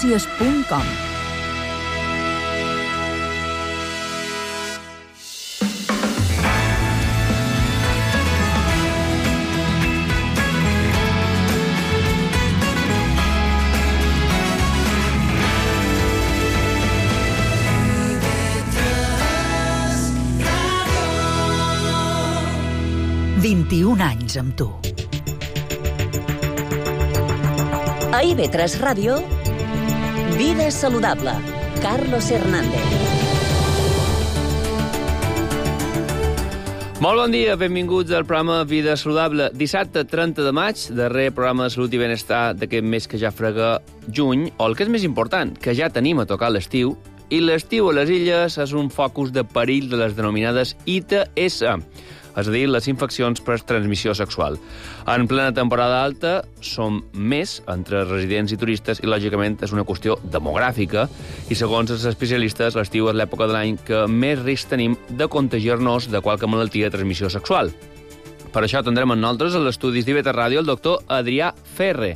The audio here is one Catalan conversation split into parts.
Notícies.com. anys amb tu. A IB3 Ràdio, Vida Saludable, Carlos Hernández. Molt bon dia, benvinguts al programa Vida Saludable. Dissabte 30 de maig, darrer programa de salut i benestar d'aquest mes que ja frega juny, o el que és més important, que ja tenim a tocar l'estiu, i l'estiu a les illes és un focus de perill de les denominades ITS, és a dir, les infeccions per transmissió sexual. En plena temporada alta som més entre residents i turistes i, lògicament, és una qüestió demogràfica i, segons els especialistes, l'estiu és l'època de l'any que més risc tenim de contagiar-nos de qualque malaltia de transmissió sexual. Per això tindrem amb nosaltres a l'estudis d'IB3 Ràdio el doctor Adrià Ferre,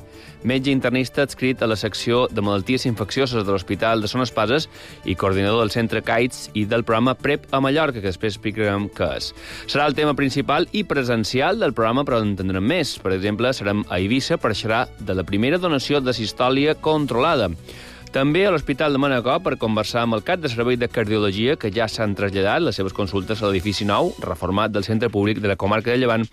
metge internista adscrit a la secció de malalties infeccioses de l'Hospital de Son Espases i coordinador del Centre CAITS i del programa PrEP a Mallorca, que després explicarem què és. Serà el tema principal i presencial del programa, però en tindrem més. Per exemple, serem a Eivissa per xerrar de la primera donació de sistòlia controlada. També a l'Hospital de Manacor per conversar amb el cap de servei de cardiologia, que ja s'han traslladat les seves consultes a l'edifici nou, reformat del Centre Públic de la Comarca de Llevant,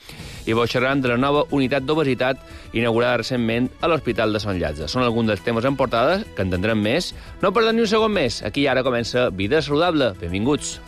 i xerraran de la nova unitat d'obesitat inaugurada recentment a l'Hospital de Sant Llàtzer. Són alguns dels temes en portada, que entendrem més. No perdem ni un segon més. Aquí i ara comença Vida Saludable. Benvinguts.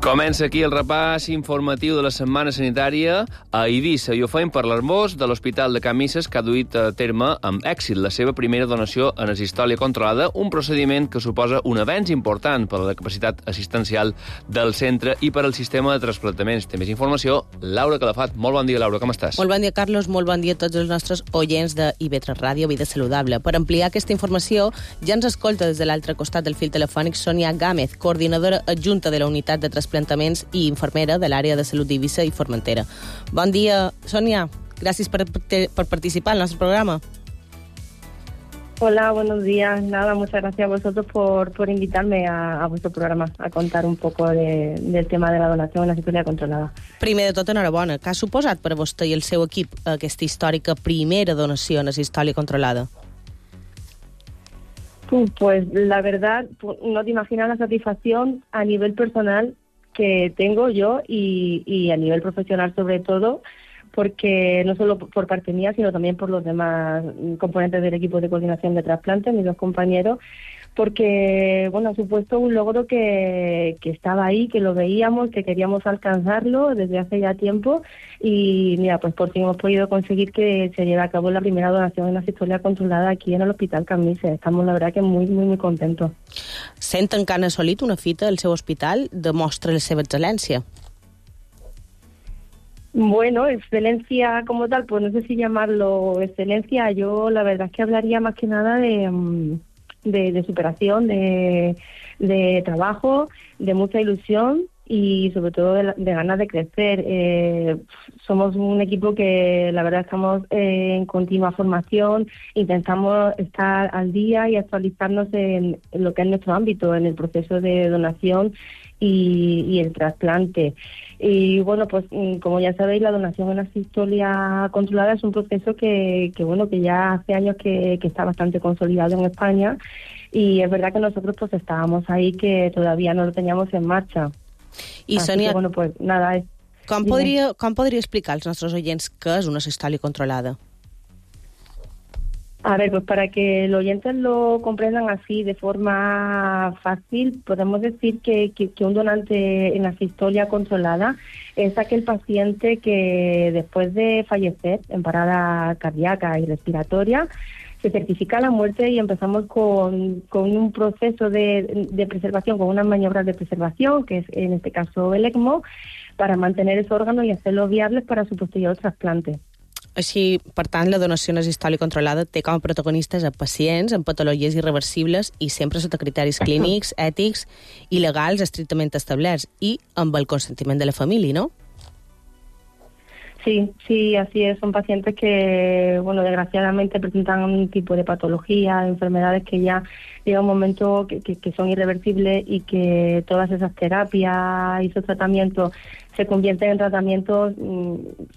Comença aquí el repàs informatiu de la setmana sanitària a Eivissa i ho fem per l'Hermós de l'Hospital de Can Misses, que ha duit a terme amb èxit la seva primera donació en sistòlia controlada, un procediment que suposa un avenç important per a la capacitat assistencial del centre i per al sistema de trasplantaments. Té més informació Laura Calafat. Molt bon dia, Laura, com estàs? Molt bon dia, Carlos. Molt bon dia a tots els nostres oients de IB3 Ràdio, Vida Saludable. Per ampliar aquesta informació, ja ens escolta des de l'altre costat del fil telefònic Sònia Gámez, coordinadora adjunta de la unitat de trasplantaments i infermera de l'àrea de salut d'Eivissa i Formentera. Bon dia, Sònia. Gràcies por participar en nuestro programa. Hola, buenos días. Nada, muchas gracias a vosotros por invitarme a vuestro programa a contar un poco del tema de la donación en la sistòlia controlada. Primer de tot, enhorabona. Què ha suposat per a vostè i el seu equip aquesta històrica primera donació en la sistòlia controlada? Pues la verdad, no te imaginas la satisfacción a nivel personal que tengo yo y a nivel profesional sobre todo, porque no solo por parte mía, sino también por los demás componentes del equipo de coordinación de trasplantes, mis dos compañeros, porque, bueno, ha supuesto un logro que estaba ahí, que lo veíamos, que queríamos alcanzarlo desde hace ya tiempo y, mira, pues por fin hemos podido conseguir que se lleve a cabo la primera donación en la sistòlia controlada aquí en el Hospital Can Misses. Estamos, la verdad, que muy, muy, muy contentos. Senten que han assolit una fita al seu hospital demostra la seva excel·lència. Bueno, excelencia como tal, pues no sé si llamarlo excelencia. Yo la verdad es que hablaría más que nada de superación, de trabajo, de mucha ilusión y sobre todo de ganas de crecer. Somos un equipo que la verdad estamos en continua formación, intentamos estar al día y actualizarnos en lo que es nuestro ámbito, en el proceso de donación y el trasplante. Y bueno, pues como ya sabéis, la donación en la sistòlia controlada es un proceso que ya hace años que está bastante consolidado en España y es verdad que nosotros pues estábamos ahí que todavía no lo teníamos en marcha. I Sònia, bueno, pues nada, com podria explicar als nostres oients què és una sistòlia controlada? A ver, pues para que los oyentes lo comprendan así de forma fácil, podemos decir que un donante en la sistòlia controlada es aquel paciente que después de fallecer en parada cardíaca y respiratoria se certifica la muerte y empezamos con un proceso de preservación, con unas maniobras de preservación, que es en este caso el ECMO, para mantener ese órgano y hacerlo viable para su posterior trasplante. Així, per tant, la donació en sistòlia controlada té com a protagonistes a pacients amb patologies irreversibles i sempre sota criteris clínics, ètics i legals estrictament establerts i amb el consentiment de la família, no? Sí, así es. Son pacientes que, bueno, desgraciadamente presentan un tipo de patología, enfermedades que ya llega un momento que son irreversibles y que todas esas terapias y esos tratamientos se convierten en tratamientos,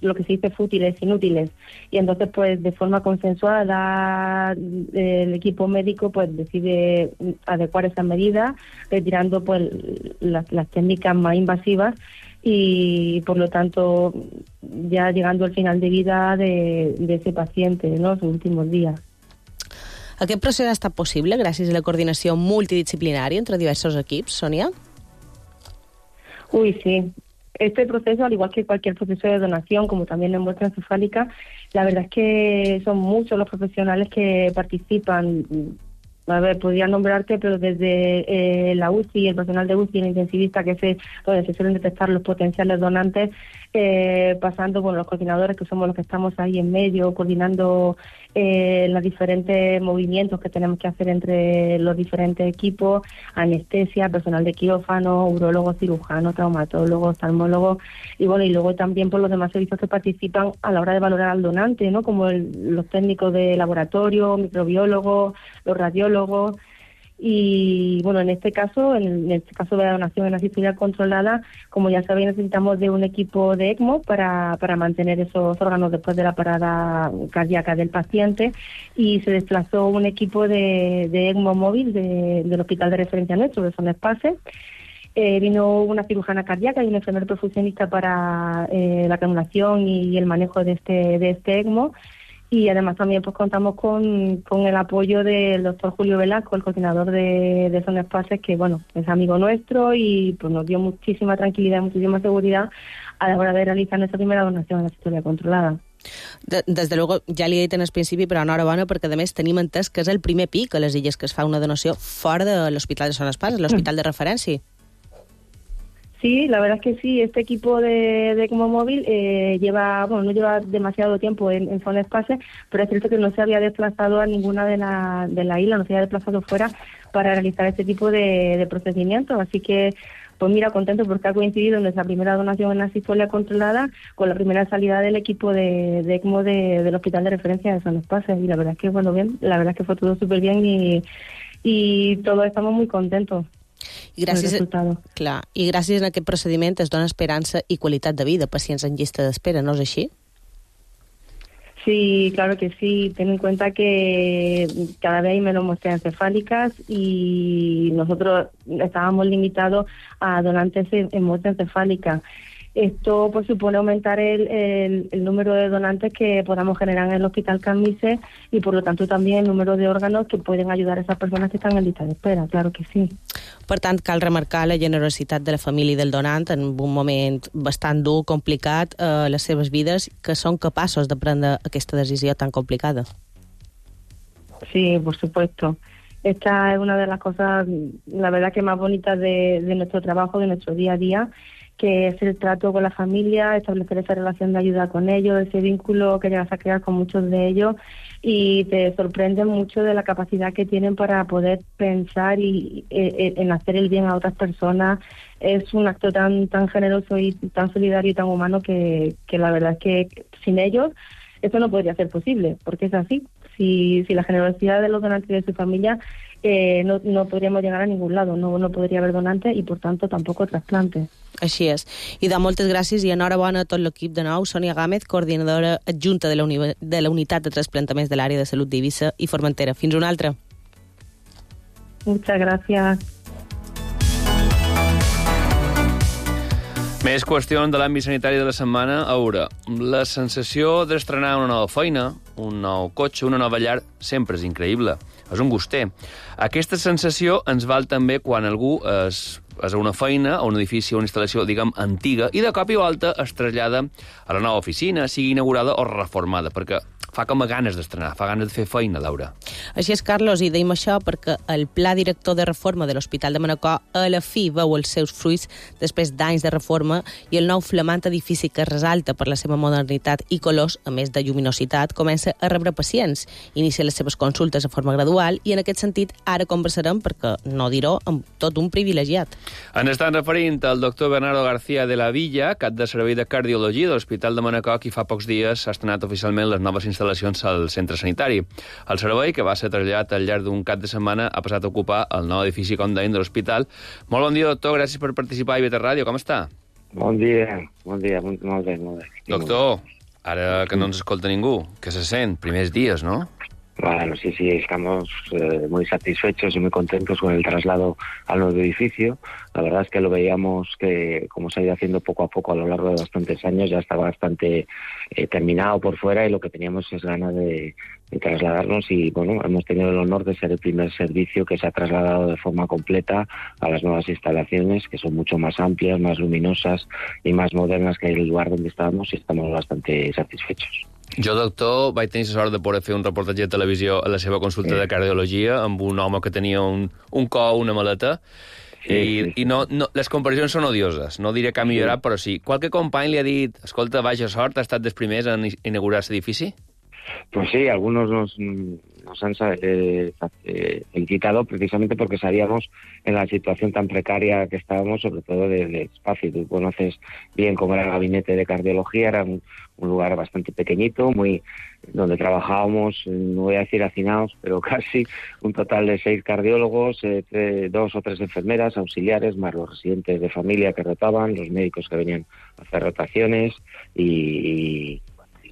lo que se dice fútiles, inútiles. Y entonces, pues, de forma consensuada, el equipo médico, pues, decide adecuar esas medidas, retirando, pues, las técnicas más invasivas y, por lo tanto, ya llegando al final de vida de ese paciente, ¿no?, sus últimos días. Aquest procés ha estat possible gràcies a la coordinació multidisciplinària entre diversos equips, Sònia? Uy, sí. Este proceso, al igual que cualquier proceso de donación, como también en muestra encefálica, la verdad es que son muchos los profesionales que participan. A ver, podría nombrarte, pero desde la UCI, el personal de UCI, el intensivista, que es donde se suelen detectar los potenciales donantes, pasando por los coordinadores, que somos los que estamos ahí en medio, coordinando los diferentes movimientos que tenemos que hacer entre los diferentes equipos, anestesia, personal de quirófano, urologo, cirujano, traumatólogo, oftalmólogo, y bueno, y luego también por los demás servicios que participan a la hora de valorar al donante, ¿no?, como los técnicos de laboratorio, microbiólogos, los radiólogos. Y bueno, en este caso de la donación en asistencia controlada, como ya sabéis, necesitamos de un equipo de ECMO para mantener esos órganos después de la parada cardíaca del paciente, y se desplazó un equipo de ECMO móvil del hospital de referencia nuestro, de Son Espace. Vino una cirujana cardíaca y un enfermero perfusionista para la canulación y el manejo de este ECMO. Y además también pues contamos con el apoyo del doctor Julio Velasco, el coordinador de Son Espaces, que bueno, es amigo nuestro y pues nos dio muchísima tranquilidad, muchísima seguridad a la hora de realizar nuestra primera donación en asistencia controlada. Des de luego, ja li he dit en el principi, però enhorabona, perquè a més tenim entès que és el primer pic a les Illes que es fa una donació fora de l'Hospital de Son Espaces, l'hospital de referència. Sí, la verdad es que sí. Este equipo de ECMO móvil no lleva demasiado tiempo en Son Espace, pero es cierto que no se había desplazado a ninguna de la isla, no se había desplazado fuera para realizar este tipo de procedimientos. Así que, pues mira, contento porque ha coincidido nuestra primera donación en asistolia controlada con la primera salida del equipo de ECMO del hospital de referencia de Son Espace. Y la verdad es que, bueno, bien, la verdad es que fue todo súper bien y todos estamos muy contentos. I gràcies a aquest procediment es dona esperança i qualitat de vida a pacients en llista d'espera, ¿no es així? Sí, claro que sí. Ten en cuenta que cada vez hay menos muestras encefálicas y nosotros estábamos limitados a donantes en muestra encefálica. Esto pues supone aumentar el número de donantes que podamos generar en el Hospital Can Misé y por lo tanto también el número de órganos que pueden ayudar a esas personas que están en lista de espera, claro que sí. Per tant, cal remarcar la generositat de la família i del donant en un moment bastant dur, complicat, les seves vides, que són capaços de prendre aquesta decisió tan complicada. Sí, por supuesto. Esta es una de las cosas, la verdad, que más bonitas de nuestro trabajo, de nuestro día a día, que es el trato con la familia, establecer esa relación de ayuda con ellos, ese vínculo que llegas a crear con muchos de ellos, y te sorprende mucho de la capacidad que tienen para poder pensar y en hacer el bien a otras personas. Es un acto tan generoso y tan solidario y tan humano que la verdad es que sin ellos esto no podría ser posible, porque es así. Si la generosidad de los donantes y de su familia, no podríamos llegar a ningún lado, no podría haber donantes y por tanto tampoco trasplantes. Així és. I de moltes gràcies i enhorabona a tot l'equip de nou. Sònia Gámez, coordinadora adjunta de la Unitat de Trasplantaments de l'àrea de salut d'Eivissa i Formentera. Fins una altra. Muchas gracias. Més qüestions de l'àmbit sanitari de la setmana. A veure, la sensació d'estrenar una nova feina, un nou cotxe, una nova llar, sempre és increïble. És un guster. Aquesta sensació ens val també quan algú és a una feina, a un edifici, a una instal·lació, diguem, antiga, i de cop i volta es trasllada a la nova oficina, sigui inaugurada o reformada, perquè fa com a ganes d'estrenar, fa ganes de fer feina, Laura. Així és, Carlos, i deim això perquè el pla director de reforma de l'Hospital de Manacor a la fi veu els seus fruits després d'anys de reforma i el nou flamant edifici que resalta per la seva modernitat i colors, a més de lluminositat, comença a rebre pacients, inicia les seves consultes de forma gradual i en aquest sentit ara conversarem, perquè no dir-ho, amb tot un privilegiat. Ens estan referint al doctor Bernardo García de la Villa, cap de servei de cardiologia de l'Hospital de Manacor, qui fa pocs dies s'ha estrenat oficialment les noves instal·lacions al centre sanitari. El servei, que va ser traslladat al llarg d'un cap de setmana, ha passat a ocupar el nou edifici, com deim, de l'hospital. Molt bon dia, doctor, gràcies per participar a IB3 Ràdio. Com està? Bon dia, molt bé. Doctor, ara que no ens escolta ningú, què se sent? Primers dies, ¿no? Bueno, sí, estamos muy satisfechos y muy contentos con el traslado al nuevo edificio. La verdad es que lo veíamos que, como se ha ido haciendo poco a poco a lo largo de bastantes años, ya estaba bastante terminado por fuera y lo que teníamos es ganas de trasladarnos y, bueno, hemos tenido el honor de ser el primer servicio que se ha trasladado de forma completa a las nuevas instalaciones, que son mucho más amplias, más luminosas y más modernas que el lugar donde estábamos, y estamos bastante satisfechos. Jo, doctor, vaig tenir la sort de poder fer un reportatge de televisió a la seva consulta de cardiologia amb un home que tenia un cor, una maleta, i no, les comparacions són odioses. No diré que ha millorat, però sí. Qualque company li ha dit, escolta, vaja sort, ha estat dels primers en inaugurar aquest edifici? Pues sí, algunos nos han felicitado precisamente porque sabíamos en la situación tan precaria que estábamos, sobre todo de espacio. Tú conoces bien cómo era el gabinete de cardiología, era un lugar bastante pequeñito, donde trabajábamos, no voy a decir hacinados, pero casi un total de 6 cardiólogos, 2 o 3 enfermeras, auxiliares, más los residentes de familia que rotaban, los médicos que venían a hacer rotaciones y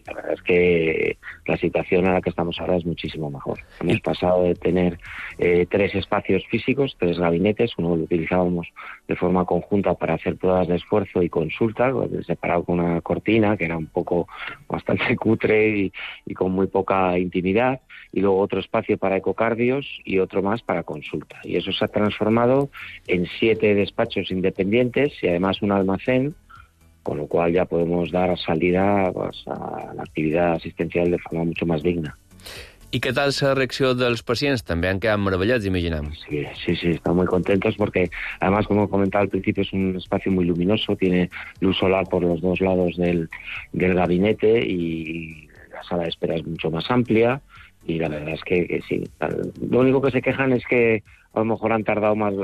la verdad es que la situación a la que estamos ahora es muchísimo mejor. Hemos pasado de tener 3 espacios físicos, 3 gabinetes, uno lo utilizábamos de forma conjunta para hacer pruebas de esfuerzo y consulta, separado con una cortina que era un poco bastante cutre y con muy poca intimidad, y luego otro espacio para ecocardios y otro más para consulta. Y eso se ha transformado en 7 despachos independientes y además un almacén, con lo cual ya podemos dar salida pues, a la actividad asistencial de forma mucho más digna. I què tal la reacció dels pacients? També han quedat meravellats, imaginem. Sí, están muy contentos porque además, como comentaba al principio, es un espacio muy luminoso, tiene luz solar por los 2 lados del gabinete y la sala de espera es mucho más amplia y la verdad es que sí. Lo único que se quejan es que a lo mejor han tardado más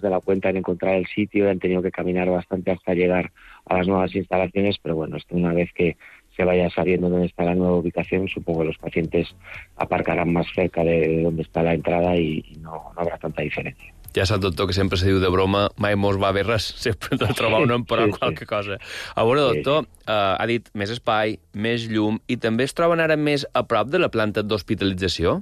de la cuenta en encontrar el sitio y han tenido que caminar bastante hasta llegar a las nuevas instalaciones, pero bueno, esto una vez que se vaya sabiendo dónde está la nueva ubicación, supongo que los pacientes aparcarán más cerca de donde está la entrada y no habrá tanta diferencia. Ja sap, doctor, que sempre se diu de broma, mai mos va bé res, sempre de trobar un però qualque cosa. A veure, doctor, ha dit més espai, més llum, i també es troben ara més a prop de la planta d'hospitalització?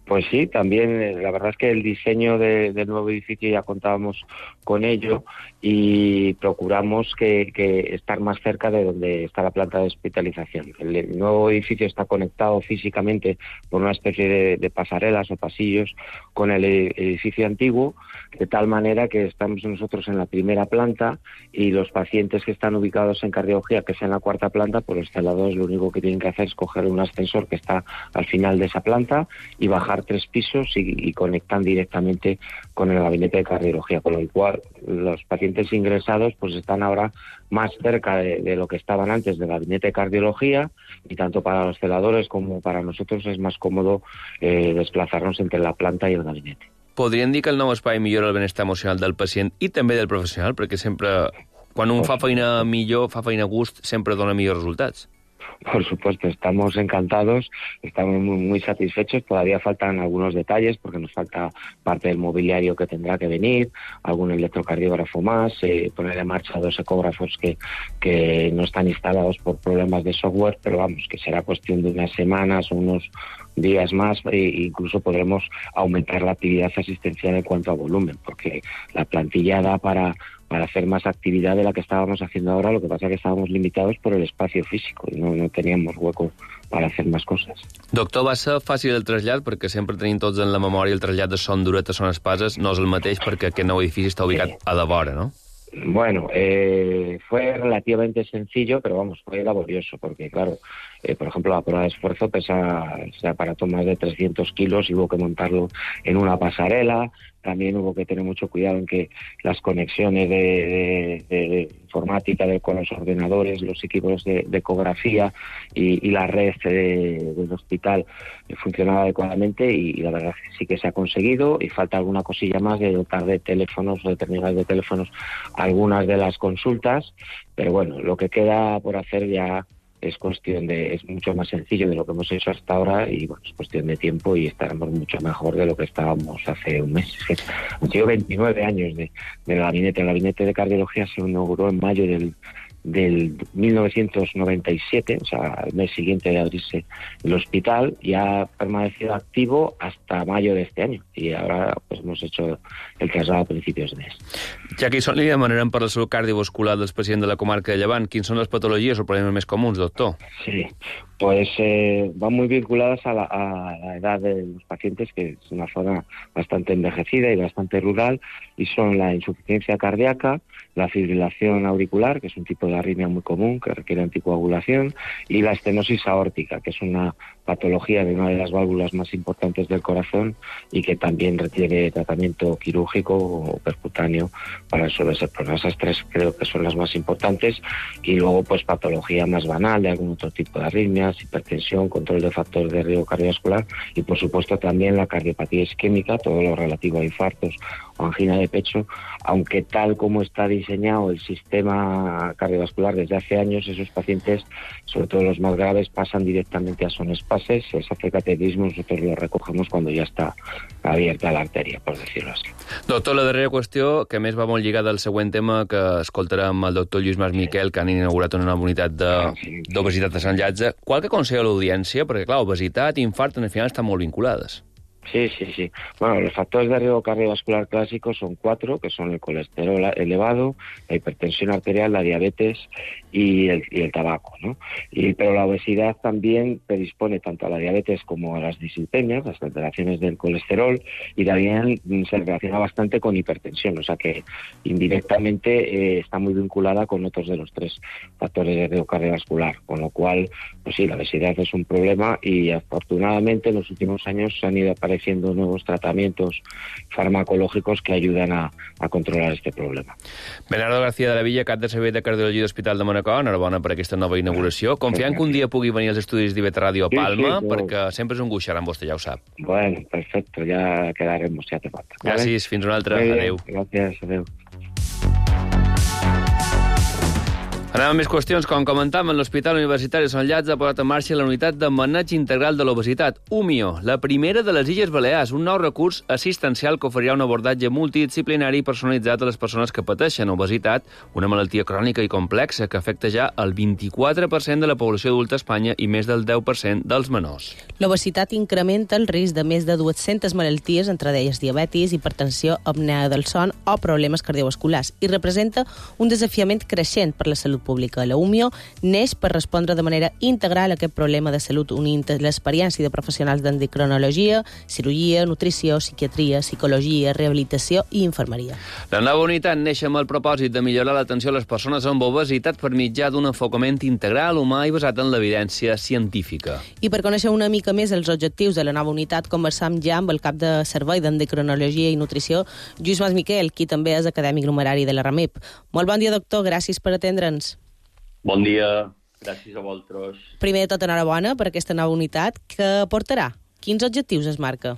Pues sí, también la verdad es que el diseño del nuevo edificio ya contábamos con ello y procuramos que estar más cerca de donde está la planta de hospitalización. El nuevo edificio está conectado físicamente por una especie de pasarelas o pasillos con el edificio antiguo, de tal manera que estamos nosotros en la primera planta y los pacientes que están ubicados en cardiología, que sea en la 4ª planta, pues los celadores lo único que tienen que hacer es coger un ascensor que está al final de esa planta y bajar 3 pisos y conectan directamente con el gabinete de cardiología, con lo cual los pacientes ingresados pues están ahora más cerca de lo que estaban antes del gabinete de cardiología, y tanto para los celadores como para nosotros es más cómodo desplazarnos entre la planta y el gabinete. Podríem dir que el nou espai millora el benestar emocional del pacient i també del professional, perquè sempre, quan un fa feina millor, fa feina a gust, sempre dona millors resultats. Por supuesto, estamos encantados, estamos muy satisfechos. Todavía faltan algunos detalles porque nos falta parte del mobiliario que tendrá que venir, algún electrocardiógrafo más, poner en marcha 2 ecógrafos que no están instalados por problemas de software, pero vamos, que será cuestión de unas semanas o unos días más, e incluso podremos aumentar la actividad asistencial en cuanto a volumen, porque la plantilla da para hacer más actividad de la que estábamos haciendo ahora. Lo que pasa es que estábamos limitados por el espacio físico y no teníamos hueco para hacer más cosas. Doctor, va ser fàcil el trasllat, perquè sempre tenim tots en la memòria el trasllat de Son Duret a Son Espases, no és el mateix perquè aquest nou edifici està ubicat a la vora, no? Bueno, fue relativamente sencillo, pero vamos, fue laborioso, porque claro, por ejemplo, la prueba de esfuerzo ese aparato más de 300 kilos y hubo que montarlo en una pasarela. También hubo que tener mucho cuidado en que las conexiones de informática con los ordenadores, los equipos de ecografía y la red del hospital funcionaba adecuadamente, y la verdad sí que se ha conseguido, y falta alguna cosilla más de dotar de teléfonos o de terminales de teléfonos algunas de las consultas, pero bueno, lo que queda por hacer ya es mucho más sencillo de lo que hemos hecho hasta ahora, y bueno, es cuestión de tiempo y estaremos mucho mejor de lo que estábamos hace un mes. Han sido 29 años del gabinete. El gabinete de cardiología se inauguró en mayo del 1997, o sea, el mes siguiente de abrirse el hospital, y ha permanecido activo hasta mayo de este año, y ahora pues hemos hecho el traslado a principios de mes. Ja que hi són, li demanarem per la salut cardiovascular dels pacients de la comarca de Llevant. Quins són les patologies o problemes més comuns, doctor? Sí, pues van muy vinculadas a la edad de los pacientes, que es una zona bastante envejecida y bastante rural, y son la insuficiencia cardíaca, la fibrilación auricular, que es un tipo de arritmia muy común que requiere anticoagulación, y la estenosis aórtica, que es una patología de una de las válvulas más importantes del corazón y que también requiere tratamiento quirúrgico o percutáneo para resolver ese problema. Esas tres creo que son las más importantes, y luego pues patología más banal de algún otro tipo de arritmias, hipertensión, control de factores de riesgo cardiovascular, y por supuesto también la cardiopatía isquémica, todo lo relativo a infartos o angina de pecho, aunque tal como está diseñado el sistema cardiovascular desde hace años, esos pacientes, sobre todo los más graves, pasan directamente a sonespases, se hace cateterismo, nosotros lo recogemos cuando ja està abierta la arteria, per dir-ho així. Doctor, la darrera qüestió, que més va molt lligada al següent tema, que escoltarem el doctor Lluís Mas Miquel, que han inaugurat una nova unitat d'obesitat de Sant Llatze. Qual que aconsella l'audiència? Perquè, clar, obesitat i infart, al final, estan molt vinculades. Sí. Bueno, los factores de riesgo cardiovascular clásicos son 4, que son el colesterol elevado, la hipertensión arterial, la diabetes y el tabaco, ¿no? Pero la obesidad también predispone tanto a la diabetes como a las dislipemias, las alteraciones del colesterol, y también se relaciona bastante con hipertensión, o sea que indirectamente está muy vinculada con otros de los 3 factores de riesgo cardiovascular, con lo cual, pues sí, la obesidad es un problema, y afortunadamente en los últimos años se han ido apareciendo nuevos tratamientos farmacológicos que ayudan a controlar este problema. Bernardo García de la Villa, cap de servei de cardiologia d'Hospital de Manacor, enhorabona per aquesta nova inauguració. Confiant que un dia pugui venir als estudis d'IV3 Ràdio a Palma, perquè sempre és un gust xerrar amb vostè, ja ho sap. Bueno, perfecto, ya quedaremos, si hace falta. Gràcies, fins una altra. Adéu. Gràcies, adéu. Anem a més qüestions. Com comentàvem, l'Hospital Universitari de Sant Llatze ha posat en marxa la unitat de maneig integral de l'obesitat, UMIO, la primera de les Illes Balears, un nou recurs assistencial que oferirà un abordatge multidisciplinari i personalitzat a les persones que pateixen obesitat, una malaltia crònica i complexa que afecta ja el 24% de la població adulta a Espanya i més del 10% dels menors. L'obesitat incrementa el risc de més de 200 malalties, entre d'elles diabetis, hipertensió, apnea del son o problemes cardiovasculars, i representa un desafiament creixent per la salut pública. La UMIO neix per respondre de manera integral a aquest problema de salut, unint l'experiència de professionals d'endocrinologia, cirurgia, nutrició, psiquiatria, psicologia, rehabilitació i infermeria. La nova unitat neix amb el propòsit de millorar l'atenció a les persones amb obesitat per mitjà d'un enfocament integral, humà i basat en l'evidència científica. I per conèixer una mica més els objectius de la nova unitat, conversam ja amb el cap de servei d'endocrinologia i nutrició, Lluís Mas Miquel, qui també és acadèmic numerari de la RAMIP. Molt bon dia, doctor, gràcies per atendre'ns. Bon dia, gràcies a vosaltres. Primer de tot, enhorabona per aquesta nova unitat que portarà. Quins objectius es marca?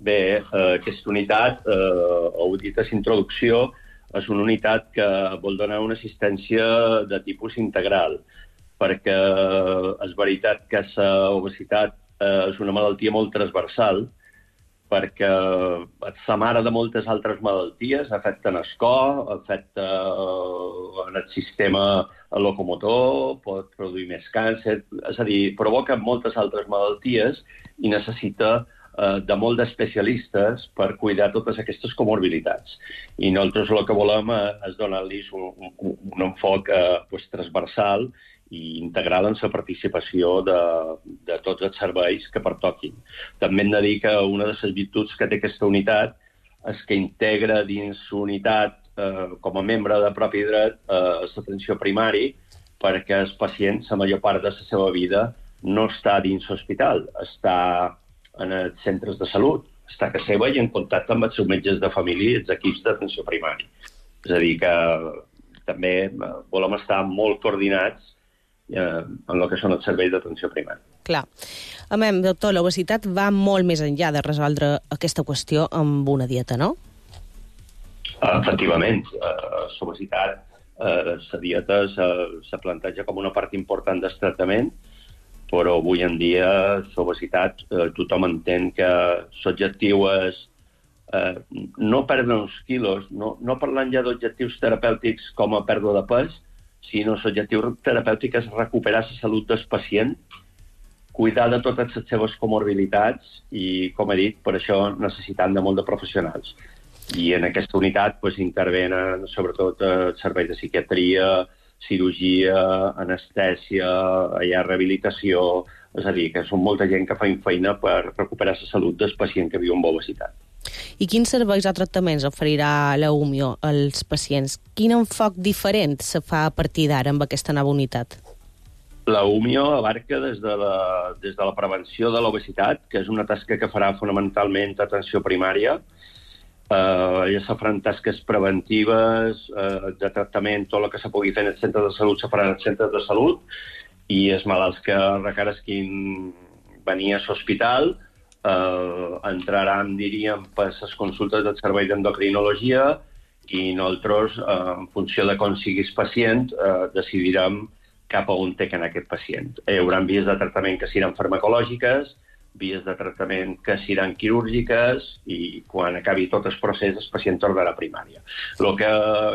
Bé, aquesta unitat, ho he dit a l'introducció, és una unitat que vol donar una assistència de tipus integral, perquè és veritat que l'obesitat és una malaltia molt transversal, perquè és la mare de moltes altres malalties, afecta el cor, afecta el sistema locomotor, pot produir més càncer, és a dir, provoca moltes altres malalties i necessita de molt d'especialistes per cuidar totes aquestes comorbilitats. I nosaltres el que volem és donar-los un enfoc transversal i integral en la participació de tots els serveis que pertoquin. També hem de dir que una de les virtuts que té aquesta unitat és que integra dins l'unitat com a membre de propi dret l'atenció primari perquè el pacient, la major part de la seva vida, no està dins l'hospital, està en els centres de salut, està a casa seva i en contacte amb els seus metges de família i els equips d'atenció primària. És a dir, que també volem estar molt coordinats en el que són els serveis d'atenció primària. Clar. A més, doctor, l'obesitat va molt més enllà de resoldre aquesta qüestió amb una dieta, no? Efectivament. L'obesitat, la dieta se planteja com una part important del tractament, però avui en dia l'obesitat tothom entén que l'objectiu és no perdre uns quilos, no parlant ja d'objectius terapèutics com a pèrdua de pes, sinó l'objectiu terapèutic és recuperar la salut del pacient, cuidar de totes les seves comorbilitats i, com he dit, per això necessitant de molt de professionals. I en aquesta unitat intervenen sobretot serveis de psiquiatria, cirurgia, anestèsia, hi ha rehabilitació, és a dir, que són molta gent que fa feina per recuperar la salut del pacient que viu amb obesitat. I quins serveis o tractaments oferirà la UMIO als pacients? Quin enfoc diferent se fa a partir d'ara amb aquesta nova unitat? La UMIO abarca des de la prevenció de l'obesitat, que és una tasca que farà fonamentalment atenció primària. Ja se faran tasques preventives, de tractament, tot el que se pugui fer en els centres de salut se farà en els centres de salut, i els malalts que requerisquin venir a l'hospital entraran, diríem, per les consultes del servei d'endocrinologia i nosaltres, en funció de com siguis pacient, decidirem cap a on té que anar aquest pacient. Hi haurà vies de tractament que seran farmacològiques, vies de tractament que seran quirúrgiques i quan acabi tot el procés el pacient tornarà a primària. El que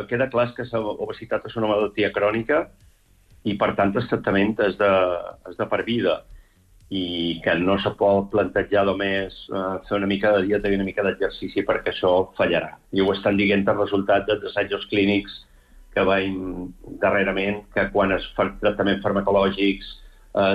queda clar és que l'obesitat és una malaltia crònica i, per tant, el tractament és de per vida i que no se pot plantejar només fer una mica de dieta i una mica d'exercici perquè això fallarà. I ho estan dient els resultats dels assajos clínics que veiem darrerament, que quan es fan tractaments farmacològics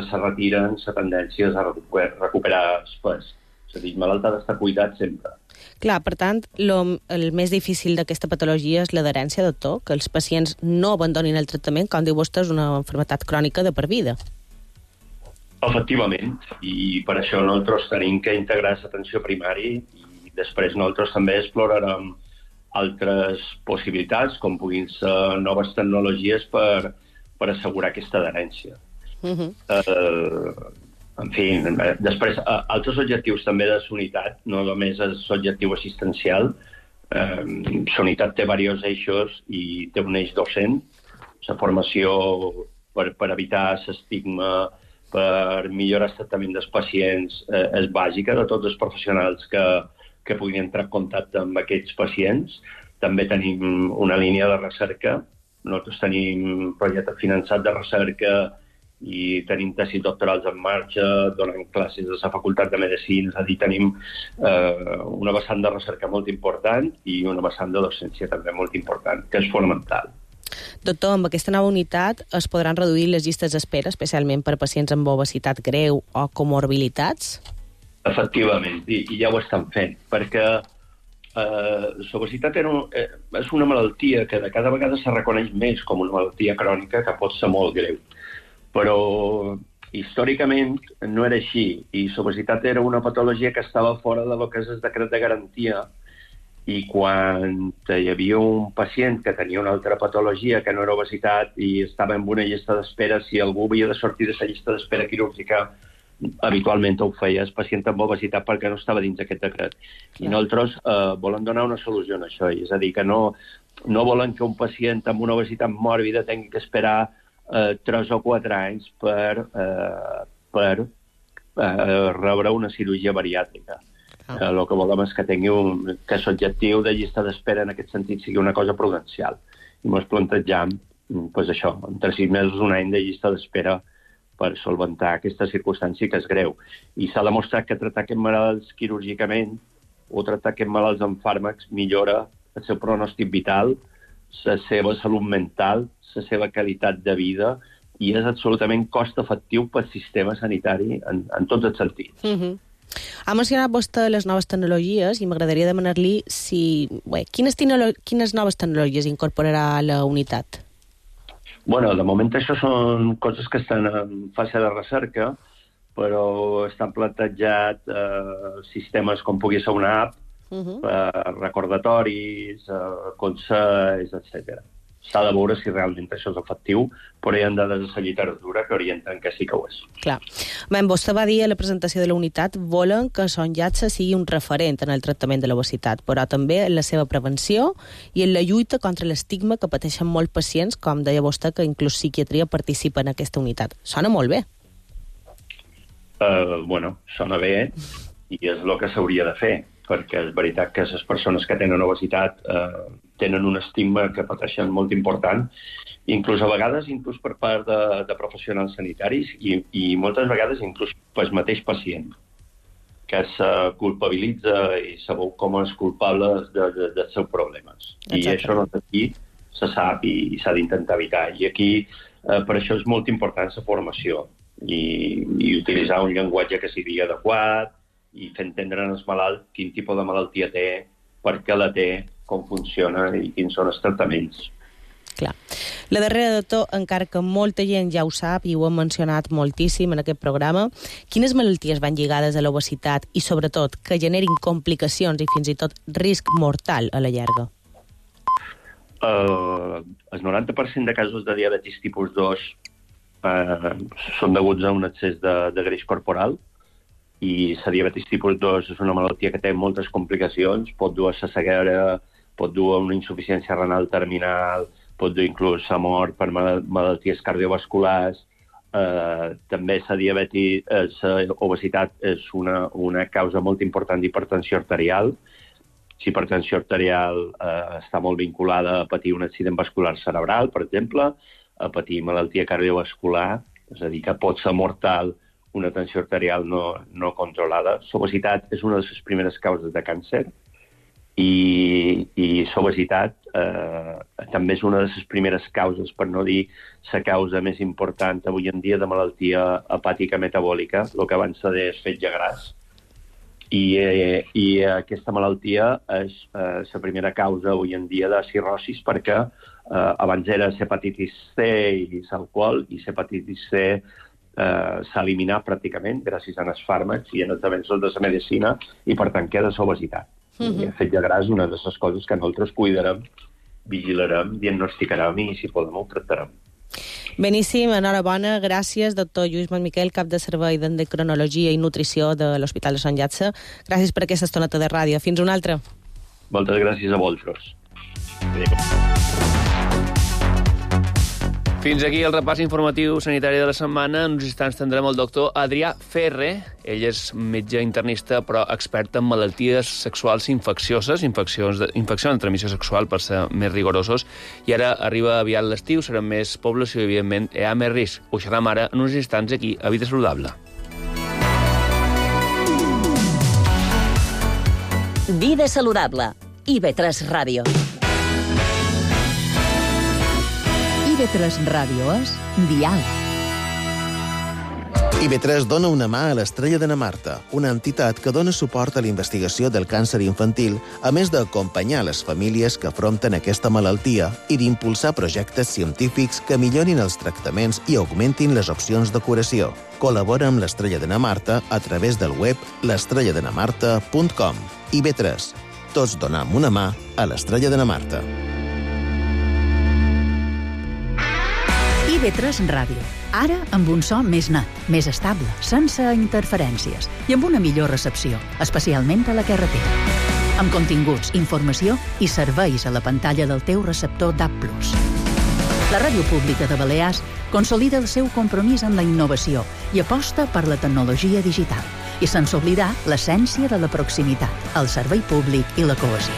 se retiren, la tendència és a recuperar el pes. És a dir, el malalt ha d'estar cuidat sempre. Clar, per tant, el més difícil d'aquesta patologia és l'adherència, doctor, que els pacients no abandonin el tractament, com diu vostè, és una malaltia crònica de per vida. Efectivament, i per això nosaltres tenim que integrar l'atenció primària i després nosaltres també explorarem altres possibilitats, com puguin ser noves tecnologies per assegurar aquesta adherència. En fi, després, altres objectius també de la unitat, no només és l'objectiu assistencial. La unitat té diversos eixos i té un eix docent. La formació per evitar l'estigma, per millorar el tractament dels pacients, és bàsica de tots els professionals que puguin entrar en contacte amb aquests pacients. També tenim una línia de recerca. Nosaltres tenim un projecte finançat de recerca i tenim tesis doctorals en marxa, donant classes a la Facultat de Medicina, és a dir, tenim una vessant de recerca molt important i una vessant de docència també molt important, que és fonamental. Doctor, amb aquesta nova unitat es podran reduir les llistes d'espera, especialment per pacients amb obesitat greu o comorbilitats? Efectivament, i ja ho estan fent, perquè l'obesitat és una malaltia que de cada vegada se reconeix més com una malaltia crònica que pot ser molt greu. Però històricament no era així, i l'obesitat era una patologia que estava fora de lo que és el decret de garantia, i quan hi havia un pacient que tenia una altra patologia que no era obesitat i estava en una llista d'espera, si algú havia de sortir de la llista d'espera quirúrgica, habitualment ho feia el pacient amb obesitat perquè no estava dins d'aquest decret. I nosaltres volem donar una solució a això, és a dir, que no volen que un pacient amb una obesitat mòrbida tingui que esperar 3 o 4 anys per rebre una cirurgia bariàtrica. El que volem és que tingui que l'objectiu de llista d'espera en aquest sentit sigui una cosa prudencial. I ens plantejam això, entre 6 mesos, un any de llista d'espera per solventar aquesta circumstància que és greu. I s'ha demostrat que tractar aquests malalts quirúrgicament o tractar aquests malalts amb fàrmacs millora el seu pronòstic vital, la seva salut mental, la seva qualitat de vida, i és absolutament cost efectiu pel sistema sanitari en tots els sentits. Ha mencionat vostè les noves tecnologies i m'agradaria demanar-li quines noves tecnologies incorporarà a la unitat? Bueno, de moment això són coses que estan en fase de recerca, però estan plantejats sistemes com pugui ser una app, recordatoris, consells, etc. S'ha de veure si realment això és efectiu, però hi ha dades de la literatura que orienten que sí que ho és. Clar. Vostè va dir a la presentació de la unitat volen que Son Llatça sigui un referent en el tractament de l'obesitat, però també en la seva prevenció i en la lluita contra l'estigma que pateixen molts pacients, com deia vostè, que inclús psiquiatria participa en aquesta unitat. Sona molt bé. Bueno, sona bé i és el que s'hauria de fer, perquè és veritat que les persones que tenen obesitat tenen un estigma que pateixen molt important, inclús a vegades per part de professionals sanitaris i moltes vegades inclús pel mateix pacient, que se culpabilitza i sabeu com és culpable dels seus problemes. I això no aquí se sap i s'ha d'intentar evitar. I aquí per això és molt important la formació i utilitzar un llenguatge que sigui adequat i fer entendre al malalt quin tipus de malaltia té, per què la té, com funciona i quins són els tractaments. Clar. La darrera de tot, encara que molta gent ja ho sap i ho hem mencionat moltíssim en aquest programa, quines malalties van lligades a l'obesitat i, sobretot, que generin complicacions i fins i tot risc mortal a la llarga? El 90% de casos de diabetis tipus 2 són deguts a un excés de greix corporal, i la diabetis tipus 2 és una malaltia que té moltes complicacions, pot dur a la ceguera, pot dur a una insuficiència renal terminal, pot dur inclús a mort per malalties cardiovasculars. També la obesitat és una causa molt important d'hipertensió arterial. La hipertensió arterial està molt vinculada a patir un accident vascular cerebral, per exemple, a patir malaltia cardiovascular, és a dir, que pot ser mortal una tensió arterial no controlada. L'obesitat és una de les primeres causes de càncer i l'obesitat també és una de les primeres causes, per no dir la causa més important avui en dia de malaltia hepàtica metabòlica, el que abans se deia fetge gras. I aquesta malaltia és la primera causa avui en dia de cirrosis, perquè abans era l'hepatitis C i l'alcohol, i l'hepatitis C s'ha eliminat pràcticament gràcies als fàrmacs i en els avenços de la medicina i per tant queda l'obesitat. I el fetge gras és una de les coses que nosaltres cuidarem, vigilarem, diagnosticarem i si podem ho tractarem. Beníssim, enhorabona, gràcies, doctor Lluís Montmiquel, cap de servei d'endocrinologia i nutrició de l'Hospital de Son Llatça. Gràcies per aquesta estoneta de ràdio. Fins una altra. Moltes gràcies a vosaltres. Fins aquí el repàs informatiu sanitari de la setmana. En uns instants tindrem el doctor Adrià Ferre. Ell és metge internista, però expert en malalties sexuals infeccioses, infeccions de transmissió sexual, per ser més rigorosos. I ara arriba aviat l'estiu, serà més població i, evidentment, hi ha més risc. Ho xerram ara en uns instants aquí, a Vida Saludable. Vida Saludable. IB3 Ràdio. IB3 Ràdio és Dial. IB3 dona una mà a l'Estrella de na Marta, una entitat que dona suport a la investigació del càncer infantil, a més d'acompanyar les famílies que afronten aquesta malaltia i d'impulsar projectes científics que millorin els tractaments i augmentin les opcions de curació. Col·labora amb l'Estrella de na Marta a través del web l'estrelladenamarta.com. IB3. Tots donem una mà a l'Estrella de na Marta. IB3 Ràdio. Ara amb un so més net, més estable, sense interferències i amb una millor recepció, especialment a la carretera. Amb continguts, informació i serveis a la pantalla del teu receptor DAB+. La Ràdio Pública de Balears consolida el seu compromís amb la innovació i aposta per la tecnologia digital i sense oblidar l'essència de la proximitat, el servei públic i la cohesió.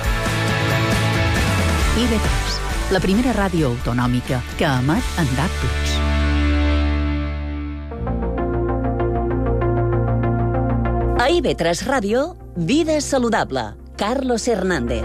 IB3, la primera ràdio autonòmica que emet en DAB+. A IB3 Ràdio, Vida Saludable. Carlos Hernández.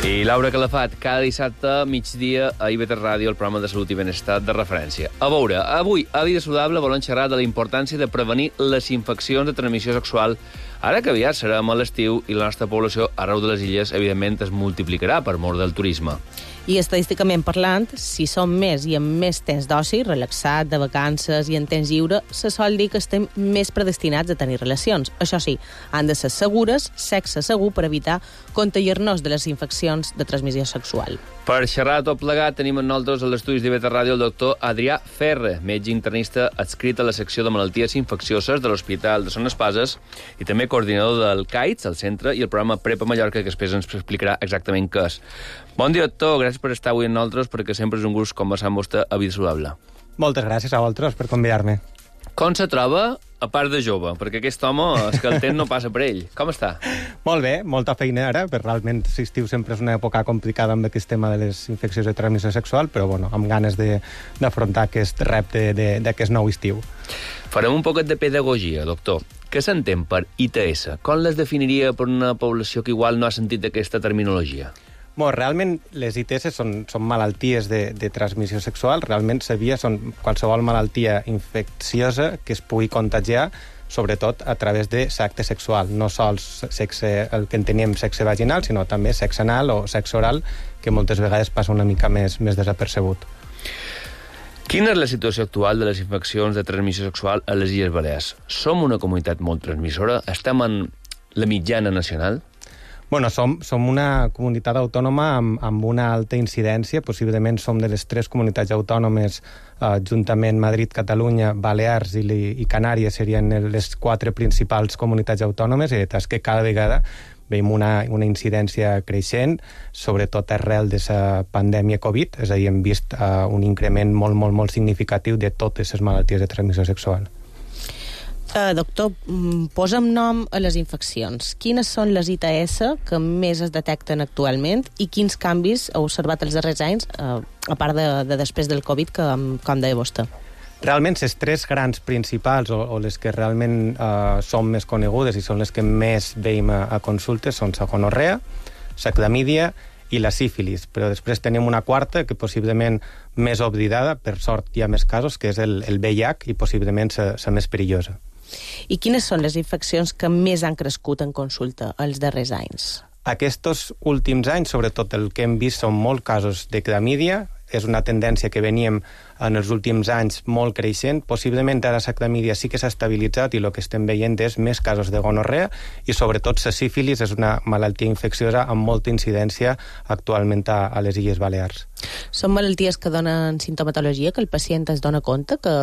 I Laura Calafat, cada dissabte, migdia, a IB3 Ràdio, el programa de salut i benestar de referència. A veure, avui, a Vida Saludable, volem xerrar de la importància de prevenir les infeccions de transmissió sexual Ara que aviat serem a l'estiu i la nostra població arreu de les illes, evidentment, es multiplicarà per mort del turisme. I estadísticament parlant, si som més i amb més temps d'oci, relaxat, de vacances i en temps lliure, se sol dir que estem més predestinats a tenir relacions. Això sí, han de ser segures, sexe segur, per evitar contagiar-nos de les infeccions de transmissió sexual. Per xerrar tot plegat tenim amb nosaltres a l'estudi d'IV3 Ràdio el doctor Adrià Ferre, metge internista adscrit a la secció de malalties infeccioses de l'Hospital de Son Espases i també coordinador del CAITS, el centre, i el programa Prepa Mallorca, que després ens explicarà exactament què és. Bon dia, doctor. Gràcies per estar avui amb nosaltres, perquè sempre és un gust conversar amb vostè a Vida Saludable. Moltes gràcies a vosaltres per convidar-me. Com se troba, a part de jove? Perquè aquest home, és que el temps no passa per ell. Com està? Molt bé, molta feina ara, però realment l'estiu sempre és una època complicada amb aquest tema de les infeccions de transmissió sexual, però bueno, amb ganes d'afrontar aquest repte d'aquest nou estiu. Farem un poquet de pedagogia, doctor. Què s'entén per ITS? Com les definiria per una població que igual no ha sentit aquesta terminologia? Realment les ITS són malalties de transmissió sexual. Realment són qualsevol malaltia infecciosa que es pugui contagiar, sobretot a través de l'acte sexual. No sols sexe, el que entenem sexe vaginal, sinó també sexe anal o sexe oral, que moltes vegades passa una mica més desapercebut. Quina és la situació actual de les infeccions de transmissió sexual a les Illes Balears? Som una comunitat molt transmissora? Estem en la mitjana nacional? Bueno, som una comunitat autònoma amb una alta incidència. Possiblement som de les 3 comunitats autònomes, juntament Madrid, Catalunya, Balears i Canàries serien les 4 principals comunitats autònomes, i és que cada vegada veiem una incidència creixent, sobretot arrel de la pandèmia Covid, és a dir, hem vist un increment molt significatiu de totes les malalties de transmissió sexual. Doctor, posa'm nom a les infeccions. Quines són les ITS que més es detecten actualment i quins canvis heu observat els darrers anys, a part de després del Covid, com deia vostè? Realment, les 3 grans principals, o les que realment són més conegudes i són les que més veiem a consultes, són la gonorrea, la clamídia i la sífilis, però després tenim una quarta que possiblement més oblidada, per sort hi ha més casos, que és el VIH, i possiblement la més perillosa. I quines són les infeccions que més han crescut en consulta els darrers anys? Aquests últims anys, sobretot el que hem vist, són molts casos de clamídia. És una tendència que veníem en els últims anys molt creixent. Possiblement ara la clamídia sí que s'ha estabilitzat i el que estem veient és més casos de gonorrea, i sobretot la sífilis és una malaltia infecciosa amb molta incidència actualment a les Illes Balears. Són malalties que donen sintomatologia, que el pacient es dona compte que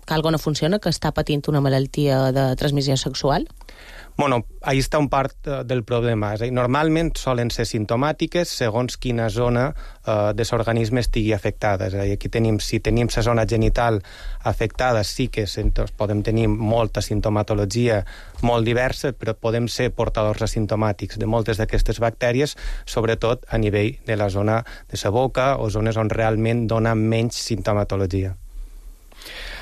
alguna no funciona, que està patint una malaltia de transmissió sexual? Bueno, ahí està un part del problema. És a dir, normalment solen ser simptomàtiques segons quina zona de l'organisme estigui afectada. És a dir, aquí si tenim la zona genital afectada, sí que podem tenir molta sintomatologia molt diversa, però podem ser portadors asimptomàtics de moltes d'aquestes bactèries, sobretot a nivell de la zona de la boca o zones on realment dona menys sintomatologia.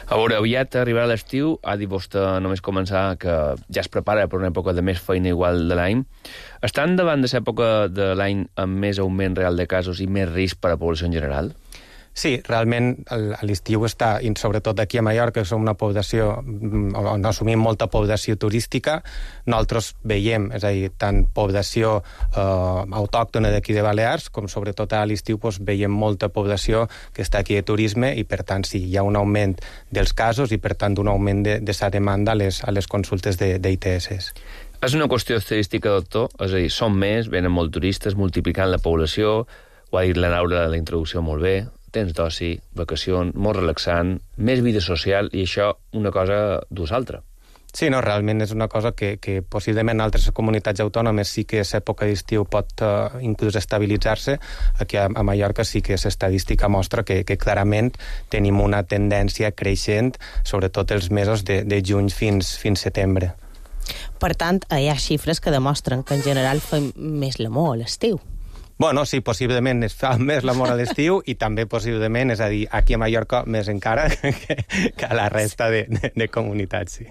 A veure, aviat arribarà l'estiu, ha dit vostè només començar que ja es prepara per una època de més feina igual de l'any. Estan davant de l'època de l'any amb més augment real de casos i més risc per a la població en general? Sí, realment l'estiu està, i sobretot aquí a Mallorca, que som una població, on assumim molta població turística, nosaltres veiem, és a dir, tant població autòctona d'aquí de Balears, com sobretot a l'estiu veiem molta població que està aquí de turisme, i per tant sí, hi ha un augment dels casos i per tant un augment de la demanda a les consultes d'ITS. És una qüestió estadística, doctor? És a dir, són més, venen molt turistes, multiplicant la població, ho ha dit la Laura a la introducció molt bé, temps d'oci, vacacions, molt relaxant, més vida social, i això una cosa dus altra. Sí, no, realment és una cosa que possiblement en altres comunitats autònomes sí que l'època d'estiu pot inclús estabilitzar-se. Aquí a Mallorca sí que l'estadística mostra que clarament tenim una tendència creixent, sobretot els mesos de juny fins setembre. Per tant, hi ha xifres que demostren que en general fem més l'amor a l'estiu. Bueno, sí, possiblement es fa més l'amor a l'estiu i també possiblement, és a dir, aquí a Mallorca més encara que a la resta de comunitats, sí.